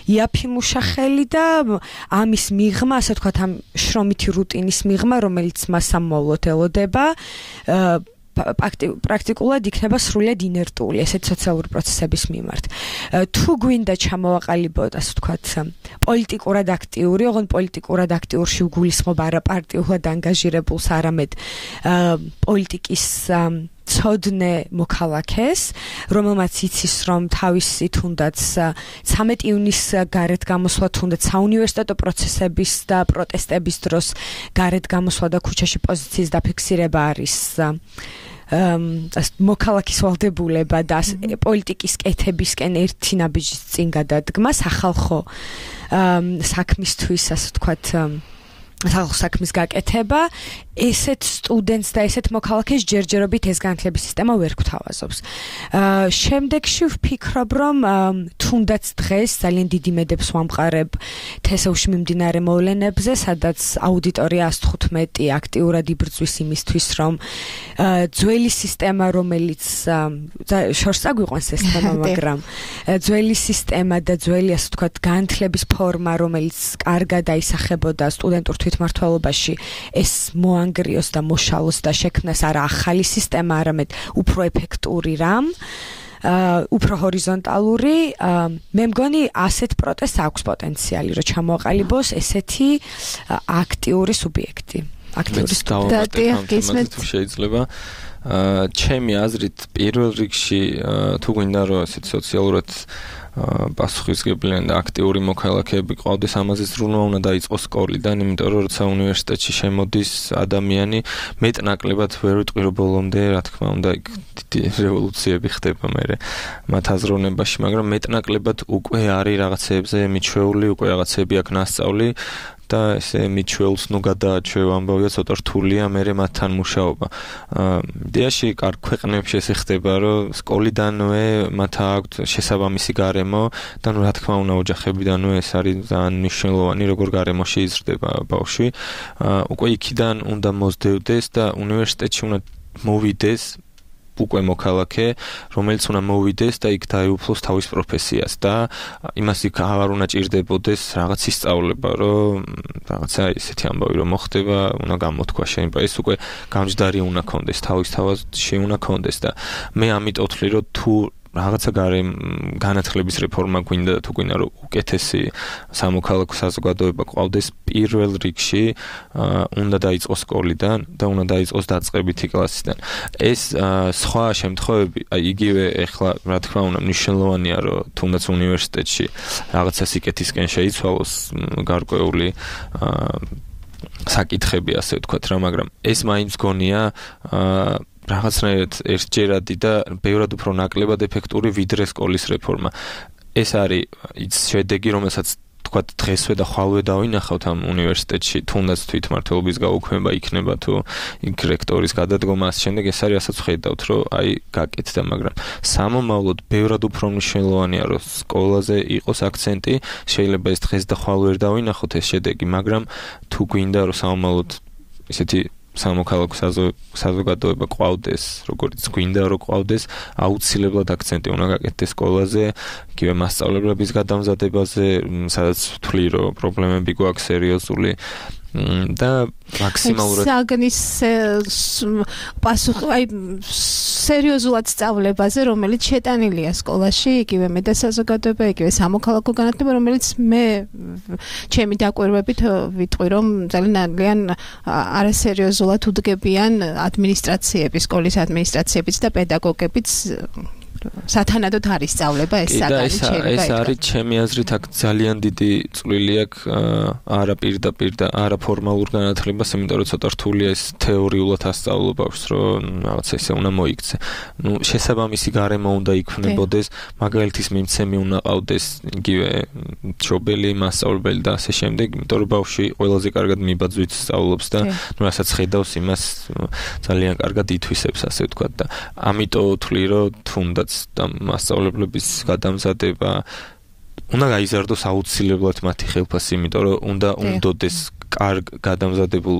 იაფი მუშახელი და ამის მიღმა, ასე ვთქვათ, ამ შრომითი რუტინის მიღმა, რომელიც მას ამოვლოდ ელოდება, პრაქტიკულად იქნება სრულიად ინერტული ესეთ სოციალური პროცესების მიმართ. თუ გვინდა ჩამოვაყალიბოთ, ასე ვთქვათ, პოლიტიკურად აქტიური, ოღონდ პოლიტიკურად აქტიურში ვგულისხმობ არა პარტიულად ანგაჟირებულს, არამედ პოლიტიკის ცოდნე მოქალაქეს, რომელმაც იცის, რომ თავისი თუნდაც 13 ივნისს გარეთ გამოსვლა, თუნდაც საუნივერსიტეტო პროცესების და პროტესტების დროს გარეთ გამოსვლა და ქუჩაში პოზიციის დაფიქსირება არის მოქალაქის ვალდებულება და პოლიტიკის კეთებისკენ ერთი ნაბიჯის წინ გადადგმა სახალხო საქმისთვის, ასე ვთქვათ, სახალხო საქმის გაკეთება, ესეთ სტუდენტს და ესეთ მოქალაქეს ჯერჯერობით ეს განათლების სისტემა ვერ გვთავაზობს. შემდეგში ვფიქრობ, რომ თუნდაც დღეს ძალიან დიდი მედებს ვამყარებ თესავში მიმდინარე მოვლენებზე, სადაც აუდიტორია 115 აქტიურად იბრძვის იმისთვის, რომ ძველი სისტემა, რომელიც შორს აგვიყვანს ეს თემა, მაგრამ ძველი სისტემა და ძველი, ასე ვთქვათ, განათლების ფორმა, რომელიც კარგად აისახებოდა სტუდენტურ თვითმმართველობაში, ეს ანგრიოს და მოშალოს და შექმნას არა ახალი სისტემა, არამედ უფრო ეფექტური რამ, უფრო ჰორიზონტალური. მე მგონი ასეთ პროტესტს აქვს პოტენციალი, რომ ჩამოაყალიბოს ესეთი აქტიური სუბიექტი. აქტიური სტუდენტი შეიძლება ჩემი აზრით პირველ რიგში თუ გვინდა რომ ესეთ სოციალურად პასუხისმგებლიანი და აქტიური მოქალაქეები ყავდეს, ამაზე ზრუნვა უნდა დაიწყოს სკოლიდან, იმიტომ რომ როცა უნივერსიტეტში შემოდის ადამიანი, მეტნაკლებად ვერ ვიტყვი რომ ბოლომდე, რა თქმა უნდა, იქ დიდი რევოლუციები ხდება მერე მათ აზროვნებაში, მაგრამ მეტნაკლებად უკვე არის რაღაცეებზე მიჩვეული, უკვე რაღაცები აქვს ნასწავლი და ესე მიჩვეულს ნუ გადააჩვევ ამბავია ცოტა რთულია მერე მათთან მუშაობა. იდეაში კარგ ქვეყნებში ესე ხდება, რომ სკოლიდანვე მათ აქვთ შესაბამისი გარემო და ნუ რა თქმა უნდა ოჯახებიდანვე ეს არის ძალიან მნიშვნელოვანი, როგორ გარემოში იზრდება ბავშვი. უკვე იქიდან უნდა მოსდევდეს და უნივერსიტეტში უნდა მოვიდეს უკვე მოქალაქე, რომელიც უნდა მოვიდეს და იქ დაეუფლოს თავის პროფესიას და იმას იქ აღარ უნდა ჭირდებოდეს რაღაც ისწავლება, რომ რაღაცა ისეთი ამბავი რომ მოხდება, უნდა გამოთქვა შენ, ეს უკვე გამჯდარი უნდა კონდეს, თავის თავში უნდა კონდეს და მე ამიტომ ვთვლი, რომ თუ რაღაცა განათლების რეფორმა გვინდა თუ გვინდა რომ უკეთესი სამოქალაქო საზოგადოება ყავდეს, პირველ რიგში უნდა დაიწყოს სკოლიდან და უნდა დაიწყოს დაწყებითი კლასიდან. ეს სხვა შემთხვევები, აი იგივე ეხლა რა თქმა უნდა მნიშვნელოვანია რომ თუნდაც უნივერსიტეტში რაღაცა სიკეთისკენ შეიცვალოს გარკვეული საკითხები, ასე ვთქვათ რა, მაგრამ ეს მაინც გონია რაღაცნაირად ერთჯერადი და ბევრად უფრო ნაკლებად ეფექტური ვიდრე სკოლის რეფორმა. ეს არის ის შედეგი, რომელსაც თქვათ დღესვე და ხვალვე დავინახავთ ამ უნივერსიტეტში, თუნდაც თვითმმართველობის გაუქმება იქნება თუ იქ რექტორის გადადგომა, ამ შემდეგ ეს არის ასაც ხედავთ, რომ აი გაკეთდა, მაგრამ სამომავლოდ ბევრად უფრო მნიშვნელოვანია, რომ სკოლაზე იყოს აქცენტი, შეიძლება ეს დღეს და ხვალ ვერ დავინახოთ ეს შედეგი, მაგრამ თუ გვინდა რომ სამომავლოდ ესეთი სამოქალაქო საზოგადოება ყავდეს, როგორც გვინდა რომ ყავდეს, აუცილებლად აქცენტი უნდა გაკეთდეს სკოლაზე, იგივე მასწავლებლების გადამზადებაზე, სადაც ვთვლი რომ პრობლემები გვაქვს სერიოზული და მაქსიმალურად საგნის პასუხი აი სერიოზულად სწავლებაზე, რომელიც შეტანილია სკოლაში, იგივე მე და საზოგადოება, იგივე სამოქალაქო განათლება, რომელიც მე ჩემი დაკვირვებით ვიტყვი, რომ ძალიან არასერიოზულად უდგებიან ადმინისტრაციები, სკოლის ადმინისტრაციებიც და პედაგოგებიც სათანადოდ არის სწავლება ეს საგანი შეიძლება ეს არის ჩემი აზრით აქ ძალიან დიდი წვლილი აქვს არა პირდაპირ და არა ფორმალურ განათლებას, იმიტომ რომ ცოტა რთულია ეს თეორიულად ასწავლობს, რომ რაღაც ესე უნდა მოიქცე. ნუ შესაბამისი გარემო უნდა იქმნებოდეს, მაგალითის მიმცემი უნდა ყავდეს, იგივე მშობელი, მასწავლებელი და ასე შემდეგ, იმიტომ რომ ბავშვი ყველაზე კარგად მიბაძვით სწავლობს და ნუ რასაც ხედავს, იმას ძალიან კარგად ითვისებს, ასე ვთქვათ და ამიტომ ვთვლი, რომ თუნდაც და მასწავლებლების გადამზადება უნდა გაიზარდოს აუცილებლად მათი ხელფასი, იმიტომ რომ უნდა უნდოდეს კარგ გადამზადებულ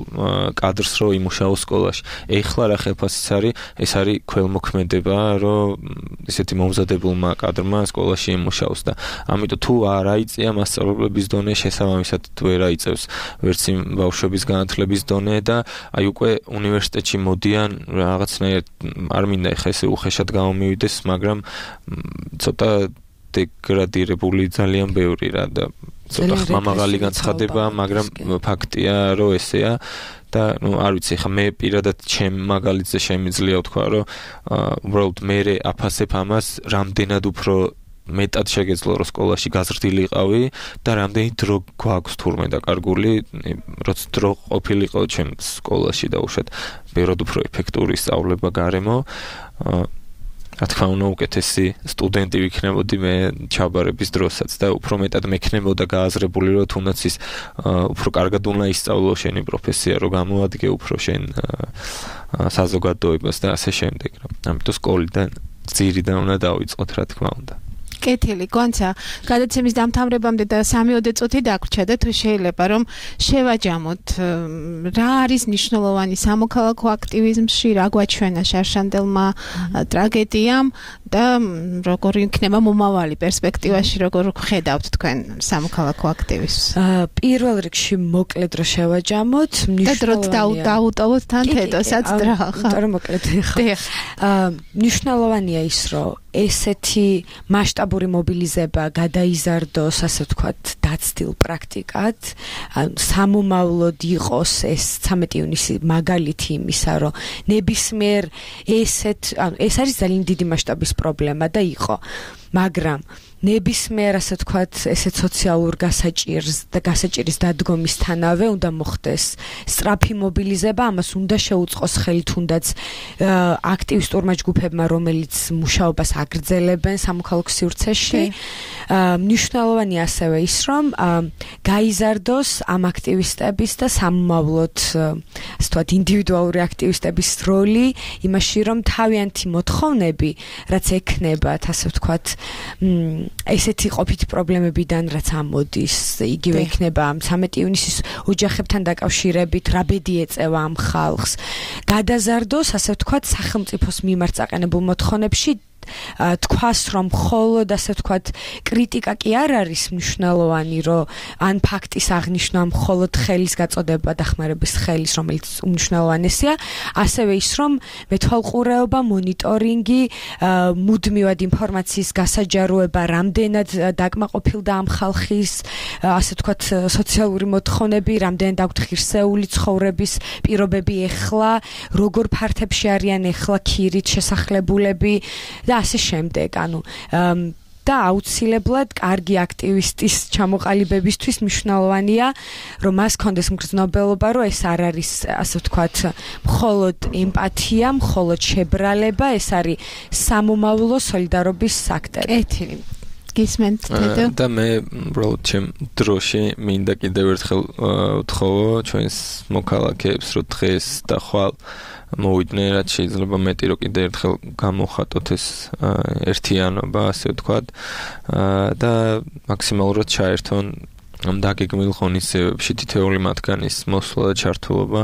კადრს, რომ იმუშაოს სკოლაში. ეხლა რა ხელფასიც არის, ეს არის ქველმოქმედება, რომ ესეთი მომზადებულმა კადრმა სკოლაში იმუშაოს და ამიტომ თუ არ აიწია მასწავლებლების დონე, შესაბამისად ვერ აიწევს ვერც იმ ბავშვების განათლების დონე და აი უკვე უნივერსიტეტში მოდიან რაღაცნაირად არ მინდა ეხლა ესე უხეშად გამომივიდეს, მაგრამ ცოტა დეგრადირებული ძალიან ბევრი რა და ცოტა ხმამაღალი განცხადება, მაგრამ ფაქტია, რომ ესეა და ნუ არ ვიცი, ხა მე პირადად ჩემ მაგალითზე შემიძლია ვთქვა, რომ უბრალოდ მე აფასებ ამას, რამდენად უფრო მეტად შეგეძლო რომ სკოლაში გაზრდილიყავი და რამდენი დრო გვაქვს თურმე დაკარგული, როცა დრო ყოფილიყო ჩემ სკოლაში და უშად ბევრად უფრო ეფექტური სწავლება გარემო. რა თქმა უნდა უკეთესი სტუდენტი ვიქნებოდი მე ჩაბარების დროსაც და უფრო მეტად მექნებოდა გააზრებული, რომ თუნდაც ის უფრო კარგად უნდა ისწავლო შენი პროფესია, რომ გამოადგე უფრო შენ საზოგადოებას და ასე შემდეგ. ამიტომ სკოლიდან ძირიდან უნდა დავიწყოთ, რა თქმა უნდა. კეთილი, გონცა, გადაცემის დამთავრებამდე და 3-4 წუთი დაგვრჩა და თუ შეიძლება რომ შევაჯამოთ რა არის მნიშვნელოვანი სამოქალაქო აქტივიზმში, რა გვაჩვენა შარშანდელმა ტრაგედიამ და როგორ იქნება მომავალი პერსპექტივაში, როგორ ხედავთ თქვენ სამოქალაქო აქტივიზმს? პირველ რიგში მოკლედ რო შევაჯამოთ, მნიშვნელოვანია. დაუტოვოთ თან თედოსაც რა ხა. იმიტომ რომ მოკლედ ხა. მნიშვნელოვანია ის, რომ ესეთი მასშტაბური მობილიზება გადაიზარდოს, ასე ვთქვათ, დაცდილ პრაქტიკად, სამომავლოდ იყოს ეს 13 ივნისი მაგალითი იმისა, რომ ნებისმიერ ეს არის ძალიან დიდი მასშტაბის პრობლემა და იყო, მაგრამ ნებისმიერ ასე ვთქვათ, ესეთ სოციალურ გასაჭირის დადგომისთანავე უნდა მოხდეს სწრაფი მობილიზება, ამას უნდა შეუწყოს ხელი თუნდაც აქტივისტურმა ჯგუფებმა, რომელიც მუშაობას აგრძელებენ სამოქალაქო სივრცეში. მნიშვნელოვანია ასევე ის, რომ გაიზარდოს ამ აქტივისტების და სამომავლოდ ასე ვთქვათ, ინდივიდუალური აქტივისტების როლი იმაში, რომ თავიანთი მოთხოვნები, რაც ექნებათ, ასე ვთქვათ, ესეთი ყოფით პრობლემებიდან რაც ამოდის, იგივე იქნება 13 ივნისის ოჯახებთან დაკავშირებით, რა ბედი ეწევა ამ ხალხს, გადაზარდოს, ასე ვთქვათ, სახელმწიფოს მიმართ წაყენებულ მოთხოვნებში თქვას, რომ მხოლოდ ასე ვთქვათ, კრიტიკა კი არ არის მნიშვნელოვანი, რომ ან ფაქტის აღნიშვნა, მხოლოდ ხელის გაწოდება დახმარების ხელის, რომელიც უმნიშვნელოვანესია, ასევე ის, რომ მეთვალყურეობა, მონიტორინგი, მუდმივად ინფორმაციის გასაჯაროება, რამდენად დაკმაყოფილდა ამ ხალხის, ასე ვთქვათ, სოციალური მოთხოვნები, რამდენად აქვთ ღირსეული ცხოვრების პირობები ეხლა, როგორ ფართებში არიან ეხლა ქირით შესახლებულები და ასე შემდეგ, ანუ და აუცილებლად კარგი აქტივისტის ჩამოყალიბებისთვის მნიშვნელოვანია, რომ მას კონდეს მგრძნობელობა, რომ ეს არ არის, ასე ვთქვათ, მხოლოდ ემპათია, მხოლოდ შებრალება, ეს არის სამომავლო სოლიდარობის აქტი. კეთილი. გისმენთ თედო? და მე უბრალოდ ჩემ დროში მინდა კიდევ ერთხელ ვთხოვო ჩვენს მოქალაქეებს, რომ დღეს და ხვალ მოვიდნენ, რაც შეიძლება მეტი რომ კიდევ ერთხელ გამოვხატოთ ეს ერთიანობა, ასე ვთქვათ, და მაქსიმალურად ჩაერთონ ამ დაგეგმილ ღონისძიებებში თითოეული მათგანის მოსვლა და ჩართულობა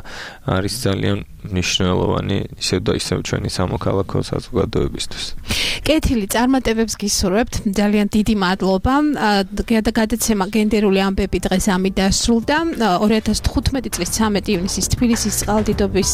არის ძალიან მნიშვნელოვანი ისევ და ისევ ჩვენი სამოქალაქო საზოგადოებისთვის. კეთილი წარმატებებს გისურვებთ. ძალიან დიდი მადლობა. გადაცემა გენდერული ამბები დღეს ამით დასრულდა. 2015 წლის 13 ივნისის თბილისის წყალდიდობის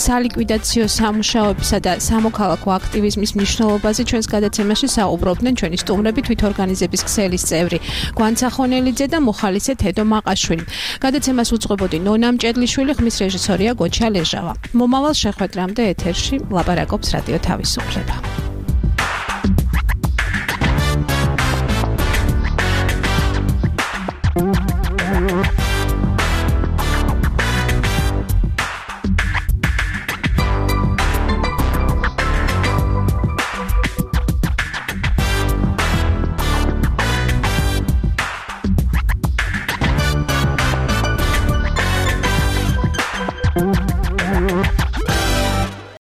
სალიკვიდაციო სამუშაოებისა და სამოქალაქო აქტივიზმის მნიშვნელობაზე ჩვენს გადაცემაში საუბრობდნენ ჩვენი სტუმრები, თვითორგანიზების ქსელის წევრი გვანცახონელიძე და მოხალისე თედო მაყაშვილი. გადაცემას უძღვებოდი ნონა მჭედლიშვილი, ხმის რეჟისორია გოჩა ლეჟავა. მომავალ შეხვედრამდე ეთერში ლაპარაკობს რადიო თავისუფლება.